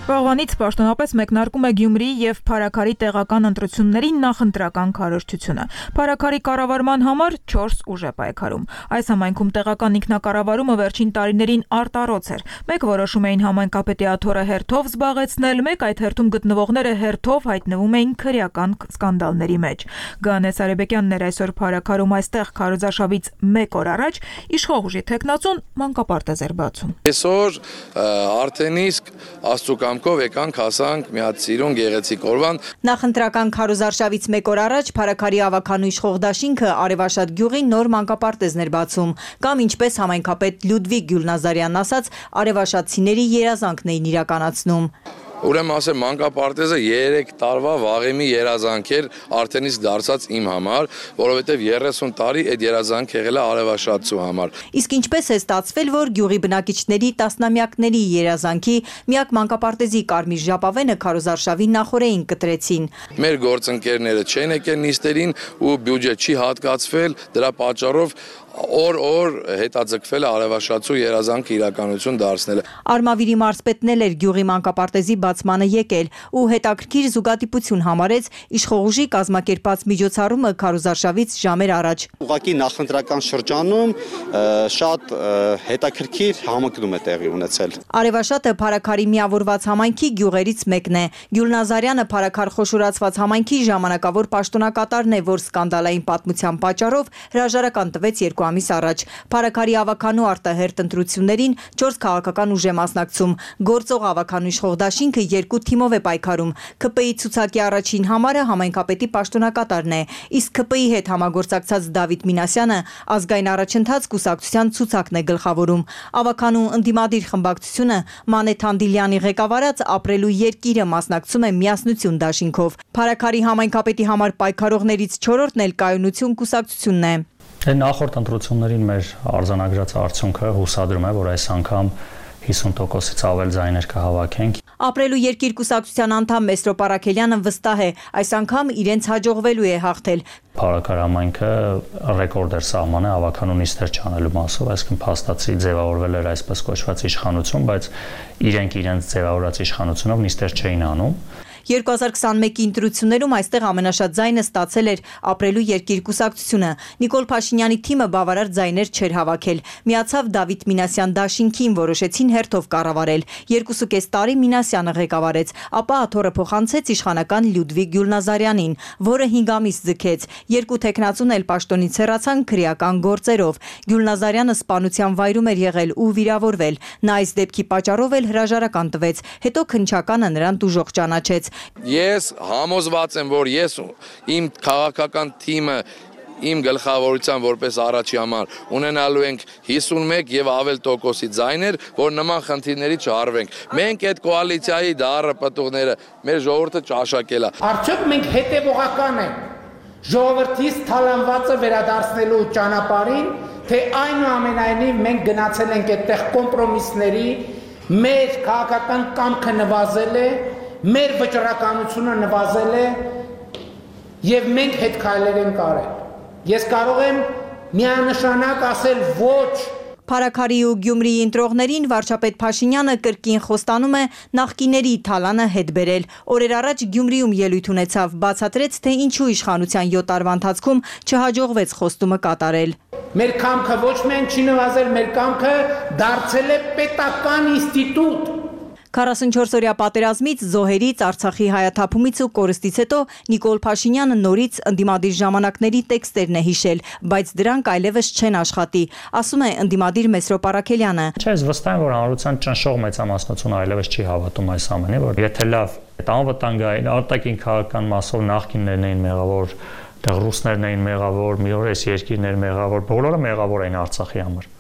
Վաղվանից պաշտոնապես մեկնարկում է Գյումրիի եւ Փարաքարի տեղական ընտրությունների նախընտրական քարոզչությունը։ Փարաքարի կառավարման համար 4 ուժ է պայքարում։ Այս համայնքում տեղական ինքնակառավարումը վերջին տարիներին արտառոց էր։ Մեկ որոշում էին համայնքապետի աթոռը հերթով զբաղեցնել, մեկ այդ հերթում գտնվողները հերթով հայտնվում էին քրեական սկանդալների մեջ։ Գանես Արեբեկյանն էր այսօր Փարաքարում, այստեղ քարոզարշավից 1 օր առաջ իշխող ուժի տեխնացուն մանկապարտեզ էր բացում։ Այսօր արդեն իսկ աստուկամքով եկանք հասանք մի հատ սիրուն գեղեցիկ օրվան։ Նախընտրական քարոզարշավից 1 օր առաջ Փարաքարի ավականու իշխող դաշինքը Արևաշատ գյուղի նոր մանկապարտեզն էր բացում, կամ ինչպես համայնքապետ Լյուդվիգ Գյուլնազարյանն ասաց, արևաշատցիների երազանքն էին իրականացնում։ Ուրեմն ասեմ, մանկապարտեզը 3 տարվա վաղեմի երազանք էր, արդեն իսկ դարձած իմ համար, որովհետև 30 տարի այդ երազանք եղել է արևաշատցու համար։ Իսկ ինչպես է ստացվել, որ գյուղի բնակիչների տասնամյակների երազանքի միակ մանկապարտեզի կարմիր ժապավենը քարոզարշավի նախօրեին կտրեցին։ Մեր գործընկերները չեն եկել նիստերին ու բյուջե չի հատկացվել, դրա պատճառով օր հետաձգվել է արևաշատցու երազանքը իրականություն դարձնելը։ Արմավիրի մարզպետն էլ էր գյուղի մանկապարտեզի բացմանը եկել ու հետաքրքիր զուգադիպություն համարեց իշխող ուժի կազմակերպած միջոցառումը քարոզարշավից ժամեր առաջ։ Ուղղակի նախընտրական շրջանում շատ հետաքրքիր համընկնում է տեղի ունեցել։ Արևաշատը Փարաքարի միավորված համայնքի գյուղերից մեկն է։ Գյուլնազարյանը Փարաքար խոշորացված համայնքի ժամանակավոր պաշտոնակատարն է, որ սկանդալային պատմության պատճառով հրաժարական տվեց 2 ամիս առաջ։ Փարաքարի ավականու արտահերտ ընտրություններին 4 քաղաքական ուժ է մասնակցում։ Գործող ավականու իշխող դաշինքը 2 թիմով է պայքարում։ ՔՊ-ի ցուցակի առաջին համարը համայնքապետի պաշտոնակատարն է, իսկ ՔՊ-ի հետ համագործակցած Դավիթ Մինասյանը ազգային առաջընթաց կուսակցության ցուցակն է գլխավորում։ Ավականու ընդդիմադիր խմբակցությունը Մանե Թանդիլյանի ղեկավարած Ապրելու երկիրը մասնակցում է միասնություն դաշինքով։ Փարաքարի համայնքապետի համար պայքարողներից 4-րդն էլ Կայունություն կուսակցությունն է։ Նախորդ ընտրություններին մեր արձանագրած արդյունքը հուսադրում է, որ այս անգամ 50%-ից ավել ձայներ կհավաքենք։ Ապրելու երկիր կուսակցության անդամ Մեսրոպ Արաքելյանը վստահ է, այս անգամ իրենց հաջողվելու է հաղթել։ Փարաքար համայնքը ռեկորդ էր սահմանել ավականու նիստեր չանելու մասով, այսինքն փաստացի ձևավորվել էր այսպես կոչված իշխանություն, բայց իրենք իրենց ձևավորած իշխանությունով նիստեր չէին անում։ 2021-ի ընտրություններում այստեղ ամենաշատ ձայնը ստացել էր Ապրելու երկիր կուսակցությունը։ Նիկոլ Փաշինյանի թիմը բավարար ձայներ չէր հավաքել։ Միացավ Դավիթ Մինասյան դաշինքին, որոշեցին հերթով կառավարել։ 2.5 տարի Մինասյանը ղեկավարեց, ապա աթոռը փոխանցեց իշխանական Լյուդվիգ Գյուլնազարյանին, որը 5 ամիս ձգեց։ 2 տեխնացուն էլ պաշտոնից հեռացան քրեական գործերով։ Գյուլնազարյանը սպանության վայրում էր եղել ու վիրավորվել։ Նա այս դեպքի պատճառով էլ հրաժարական տվեց, հետո քննչականը նրան տուժող ճանաչեց։ Ես համոզված եմ, որ ես իմ քաղաքական թիմը իմ գլխավորության որպես առաջի համար ունենալու ենք 51 եւ ավել տոկոսի ձայներ, որ նման խնդիրների չհարվենք։ Մենք այդ կոալիցիայի դառը պտուղները մեր ժողովուրդը ճաշակել է։ Արդյոք մենք հետևողական ենք ժողովրդից թալանվածը վերադարձնելու ճանապարհին, թե այնուամենայնիվ մենք գնացել ենք այդտեղ կոմպրոմիսների, մեր քաղաքական կամքը նվազել է, մեր վճռականությունը նվազել է եւ մենք հետ քայլեր ենք արել։ Ես կարող եմ միանշանակ ասել ոչ Փարաքարի ու Գյումրիի ընտրողներին վարչապետ Փաշինյանը կրկին խոստանում է նախկիների թալանը հետ բերել։ Օրեր առաջ Գյումրիում ելույթ ունեցավ, բացատրեց, թե ինչու իշխանության 7 տարվա ընթացքում չհաջողվեց խոստումը կատարել։ Մեր կամքը ոչ միայն չի նվազել, մեր կամքը դարձել է պետական ինստիտուտ։ 44-օրյա պատերազմից, զոհերից, Արցախի հայաթափումից ու կորստից հետո Նիկոլ Փաշինյանը նորից ընդդիմադիր ժամանակների տեքստերն է հիշել, բայց դրանք այլևս չեն աշխատի, ասում է ընդդիմադիր Մեսրոպ Առաքելյանը։ Չէ, ես վստահ եմ, որ հանրության ճնշող մեծամասնությունը այլևս չի հավատում այս ամենին, որ եթե լավ անվտանգային արտաքին քաղաքական մասով նախկիններն էին մեղավոր, դեռ ռուսներն էին մեղավոր, մի օր այս երկիրներ մեղավոր, բոլորը մեղավոր էին Արցախի համար։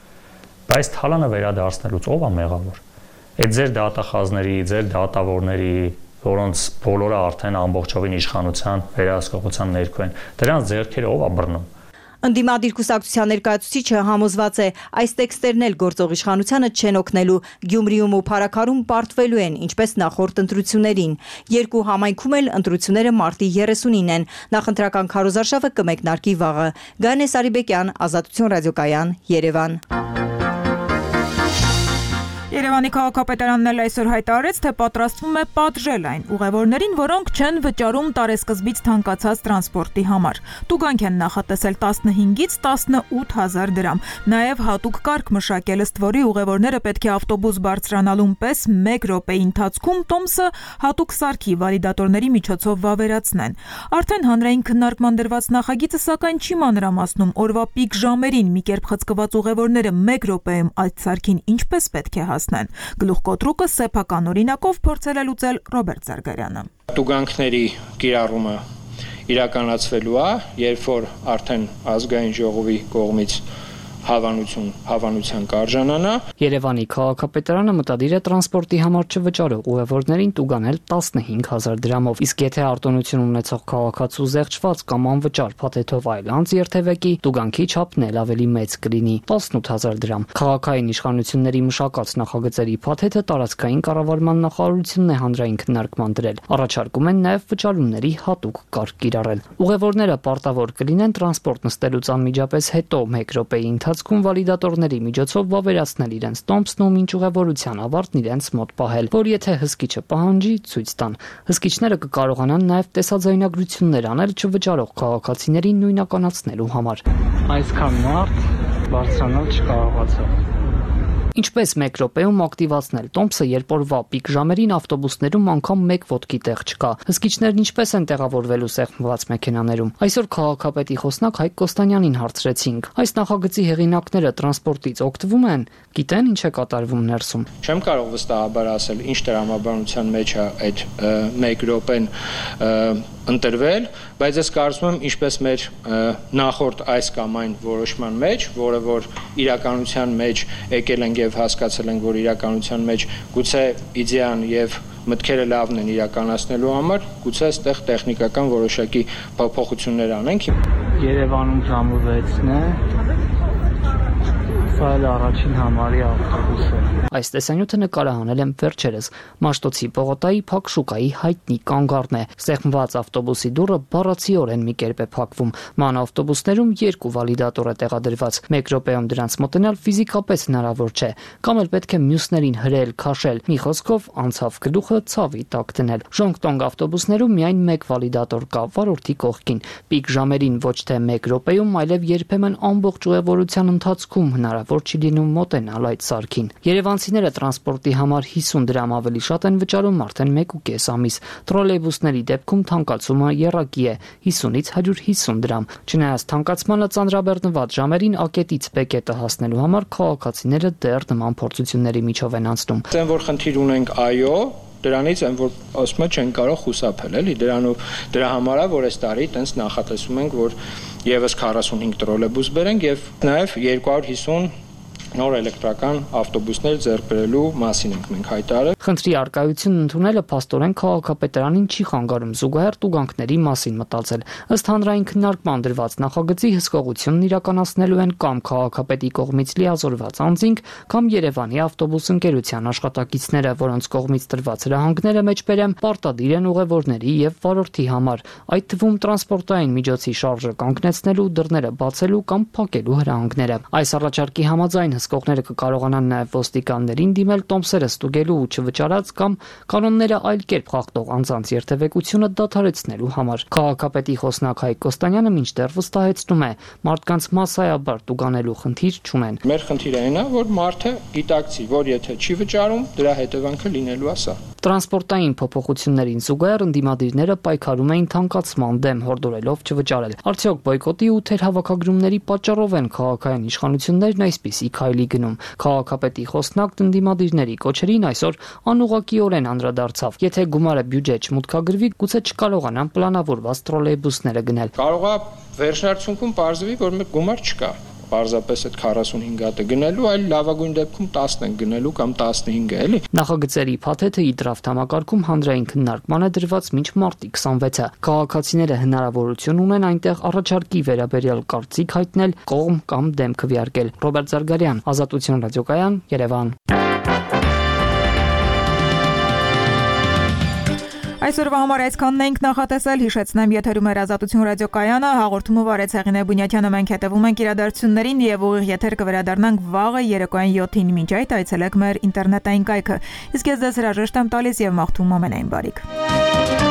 Բայց թալանը վերադարձնելուց ով է մեղավոր։ Այդ ձեր դատախազների, ձեր դատավորների, որոնց բոլորը արդեն ամբողջովին իշխանության վերահսկողության ներքո են, դրանց ձեռքերը ով է բռնում։ Ընդդիմադիր կուսակցության ներկայացուցիչը համոզված է, այս տեքստերն էլ գործող իշխանությանը չեն օգնելու, Գյումրիում ու Փարաքարում պարտվելու են, ինչպես նախորդ ընտրություններին։ Երկու համայնքում էլ ընտրությունները մարտի 30-ին են։ Նախընտրական քարոզարշավը կմեկնարկի վաղը։ Գայանե Սարիբեկյան, Ազատություն ռադիոկայան, Երևան։ Երևանի քաղաքապետարանն էլ այսօր հայտարարեց, թե պատրաստվում է պատժել այն ուղևորներին, որոնք չեն վճարում տարեսկզբից թանկացած տրանսպորտի համար։ Տուգանք են նախատեսել 15-ից 18,000 դրամ։ Նաև հատուկ կարգ մշակել, ըստ որի ուղևորները պետք է ավտոբուս բարձրանալուն պես 1 րոպեի ընթացքում տոմսը հատուկ սարքի վալիդատորների միջոցով վավերացնեն։ Արդեն հանրային քննարկման դրված նախագիծը սակայն չի մանրամասնում օրվա պիկ ժամերին մի կերպ խցկված ուղևորները 1 րոպեում այդ սարքին ինչպես պետք է հասնեն։ Գլուխկոտրուկը սեփական օրինակով փորձել է լուծել Ռոբերտ Զարգարյանը։ Տուգանքների կիրառումը իրականացվելու է, երբ որ արդեն ազգային ժողովի կողմից հավանության կարժանանա։ Երևանի քաղաքապետարանը մտադիր է տրանսպորտի համար չվճարող ուղևորներին տուգանել 15,000 դրամով, իսկ եթե արտոնություն ունեցող քաղաքացու զեղչված կամ անվճար փաթեթով այլ անձ երթևեկի, տուգանքի չափն էլ ավելի մեծ կլինի՝ 18,000 դրամ։ Քաղաքային իշխանությունների մշակած նախագծերի փաթեթը տարածքային կառավարման նախարարությունն է հանրային քննարկման դրել։ Առաջարկում են նաև վճարումների հատուկ կարգ կիրառել։ Ուղևորները պարտավոր կլինեն տրանսպորտ նստելուց անմիջապես հետո 1 րոպեի ընթացքում վալիդատորների միջոցով վավերացնել իրենց տոմսն ու մինչ ուղևորության ավարտն իրենց մոտ պահել, որ եթե հսկիչը պահանջի, ցույց տան։ Հսկիչները կկարողանան նաև տեսաձայնագրություններ անել չվճարող քաղաքացիներին նույնականացնելու համար։ Այսքան մարդ բարձրանալ չկարողացավ։ Ինչպես 1 րոպեում ակտիվացնել տոմսը, երբ օրվա պիկ ժամերին ավտոբուսներում անգամ 1 ոտքի տեղ չկա։ Հսկիչներն ինչպես են տեղավորվելու սեղմված մեքենաներում։ Այսօր քաղաքապետի խոսնակ Հայկ Կոստանյանին հարցրեցինք. այս նախագծի հեղինակները տրանսպորտից օգտվում են, գիտեն ինչ է կատարվում ներսում։ Չեմ կարող վստահաբար ասել, ինչ տրամաբանության մեջ է այդ 1 րոպեն ընտրվել, բայց ես կարծում եմ, ինչպես մեր նախորդ այս կամ այն որոշման մեջ, որը որ իրականության մեջ եկել ենք եւ հասկացել ենք, որ իրականության մեջ գուցե իդեան եւ մտքերը լավն են իրականացնելու համար, գուցե այստեղ տեխնիկական որոշակի փոփոխություններ անենք։ Երևանում ժամը 6-ն է։ Սա էլ առաջին համարի ավտոբուսը։ Այս տեսանյութը նկարահանել եմ վերջերս Մաշտոցի Պողոտայի Փակ շուկայի հայտնի կանգառն է։ Սեղմված ավտոբուսի դուռը բառացիորեն մի կերպ է փակվում։ Ման ավտոբուսներում 2 վալիդատոր է տեղադրված։ 1 րոպեում դրանց մոտենալ ֆիզիկապես հնարավոր չէ, կամ էլ պետք է մյուսներին հրել, քաշել։ Մի խոսքով անցավ գլուխը ցավի տակ դնել։ Ժոնգտոնգ ավտոբուսներում միայն 1 վալիդատոր կա վարորդի կողքին։ Պիկ ժամերին ոչ թե 1 րոպեում, այլև երբեմն ամբողջ ուղևորության ընթացքում հնարավոր չի լինում մոտենալ այդ սարքին։ Երևանցիները տրանսպորտի համար 50 դրամ ավելի շատ են վճարում արդեն 1.5 ամիս։ Տրոլեյբուսների դեպքում թանկացումը եռակի է՝ 50-ից 150 դրամ։ Չնայած թանկացմանը ծանրաբեռնված ժամերին ակետից բեկետը հասնելու համար քաղաքացիները դեռ նման փորձությունների միջով են անցնում։ Դեն որ խնդիր ունենք, այո, դրանից են որ ասում չեն կարող խուսափել, էլի դրա համար է որ այս տարի տենց նախատեսում ենք, որ եւս 45 տրոլեյբուս բերենք եւ նաեւ 250 նոր էլեկտրական ավտոբուսներ ձեռք բերելու մասին ենք մենք հայտարարել։ Խնդրի արկայությունն ընդունելը փաստորեն քաղաքապետարանին չի խանգարում զուգահեռ տուգանքների մասին մտածել։ Ըստ հանրային քննարկման դրված նախագծի հսկողությունն իրականացնելու են կամ քաղաքապետի կողմից լիազորված անձինք, կամ Երևանի ավտոբուս ընկերության աշխատակիցները, որոնց կողմից տրված հրահանգները մեջբերեմ պարտադիր են ուղևորների եւ վարորդի համար, այդ թվում տրանսպորտային միջոցի շարժը կանգնեցնելու, դռները բացելու կամ փակելու հրահանգները։ Այս առաջարկի համաձայն զսկողները կկարողանան նաև ոստիկաններին դիմել տոմսերը ստուգելու ու չվճարած կամ կանոնները այլ կերպ խախտող անձանց երթևեկությունը դադարեցնելու համար։ Քաղաքապետի խոսնակ Հայկ Կոստանյանը մինչդեռ վստահեցնում է, մարդկանց մասսայաբար տուգանելու խնդիր չունեն։ Մեր խնդիրը այն է, որ մարդը գիտակցի, որ եթե չի վճարում, դրա հետևանքը լինելու է սա։ Տրանսպորտային փոփոխություններին զուգահեռ ընդդիմադիրները պայքարում էին թանկացման դեմ, հորդորելով չվճարել։ Արդյոք բոյկոտի ու թերհավաքագրումների պատճառով են քաղաքային իշխանություններն այսպիսի քայլի գնում։ Քաղաքապետի խոսնակ ընդդիմադիրների կոչերին այսօր անուղղակիորեն անդրադարձավ։ Եթե գումարը բյուջե չմուտքագրվի, գուցե չկարողանան պլանավորված տրոլեյբուսները գնել։ Կարող է վերջնարդյունքում պարզվի, որ մեկ գումար չկա։ Պարզապես այդ 45 հատը գնելու, այլ լավագույն դեպքում 10 են գնելու կամ 15 էլի։ Նախագծերի փաթեթը իդրաֆտ համակարգում հանրային քննարկման է դրված մինչ մարտի 26-ը։ Քաղաքացիները հնարավորություն ունեն այնտեղ առաջարկի վերաբերյալ կարծիք հայտնել, կողմ կամ դեմ քվեարկել։ Ռոբերտ Զարգարյան, Ազատություն ռադիոկայան, Երևան։ Այսօրվա համար այսքանն ենք նախատեսել, հիշեցնեմ, եթերում էր Ազատություն ռադիոկայանը, հաղորդումը վարեց Հեղինե Բունյաթյանը, մենք հետևում ենք իրադարձություններին եւ ուղիղ եթեր կվերադառնանք վաղը երեկոյան 7-ին, մինչ այդ այցելեք մեր ինտերնետային կայքը։ Իսկ ես ձեզ հրաժեշտ եմ տալիս եւ մաղթում ամենայն բարիք։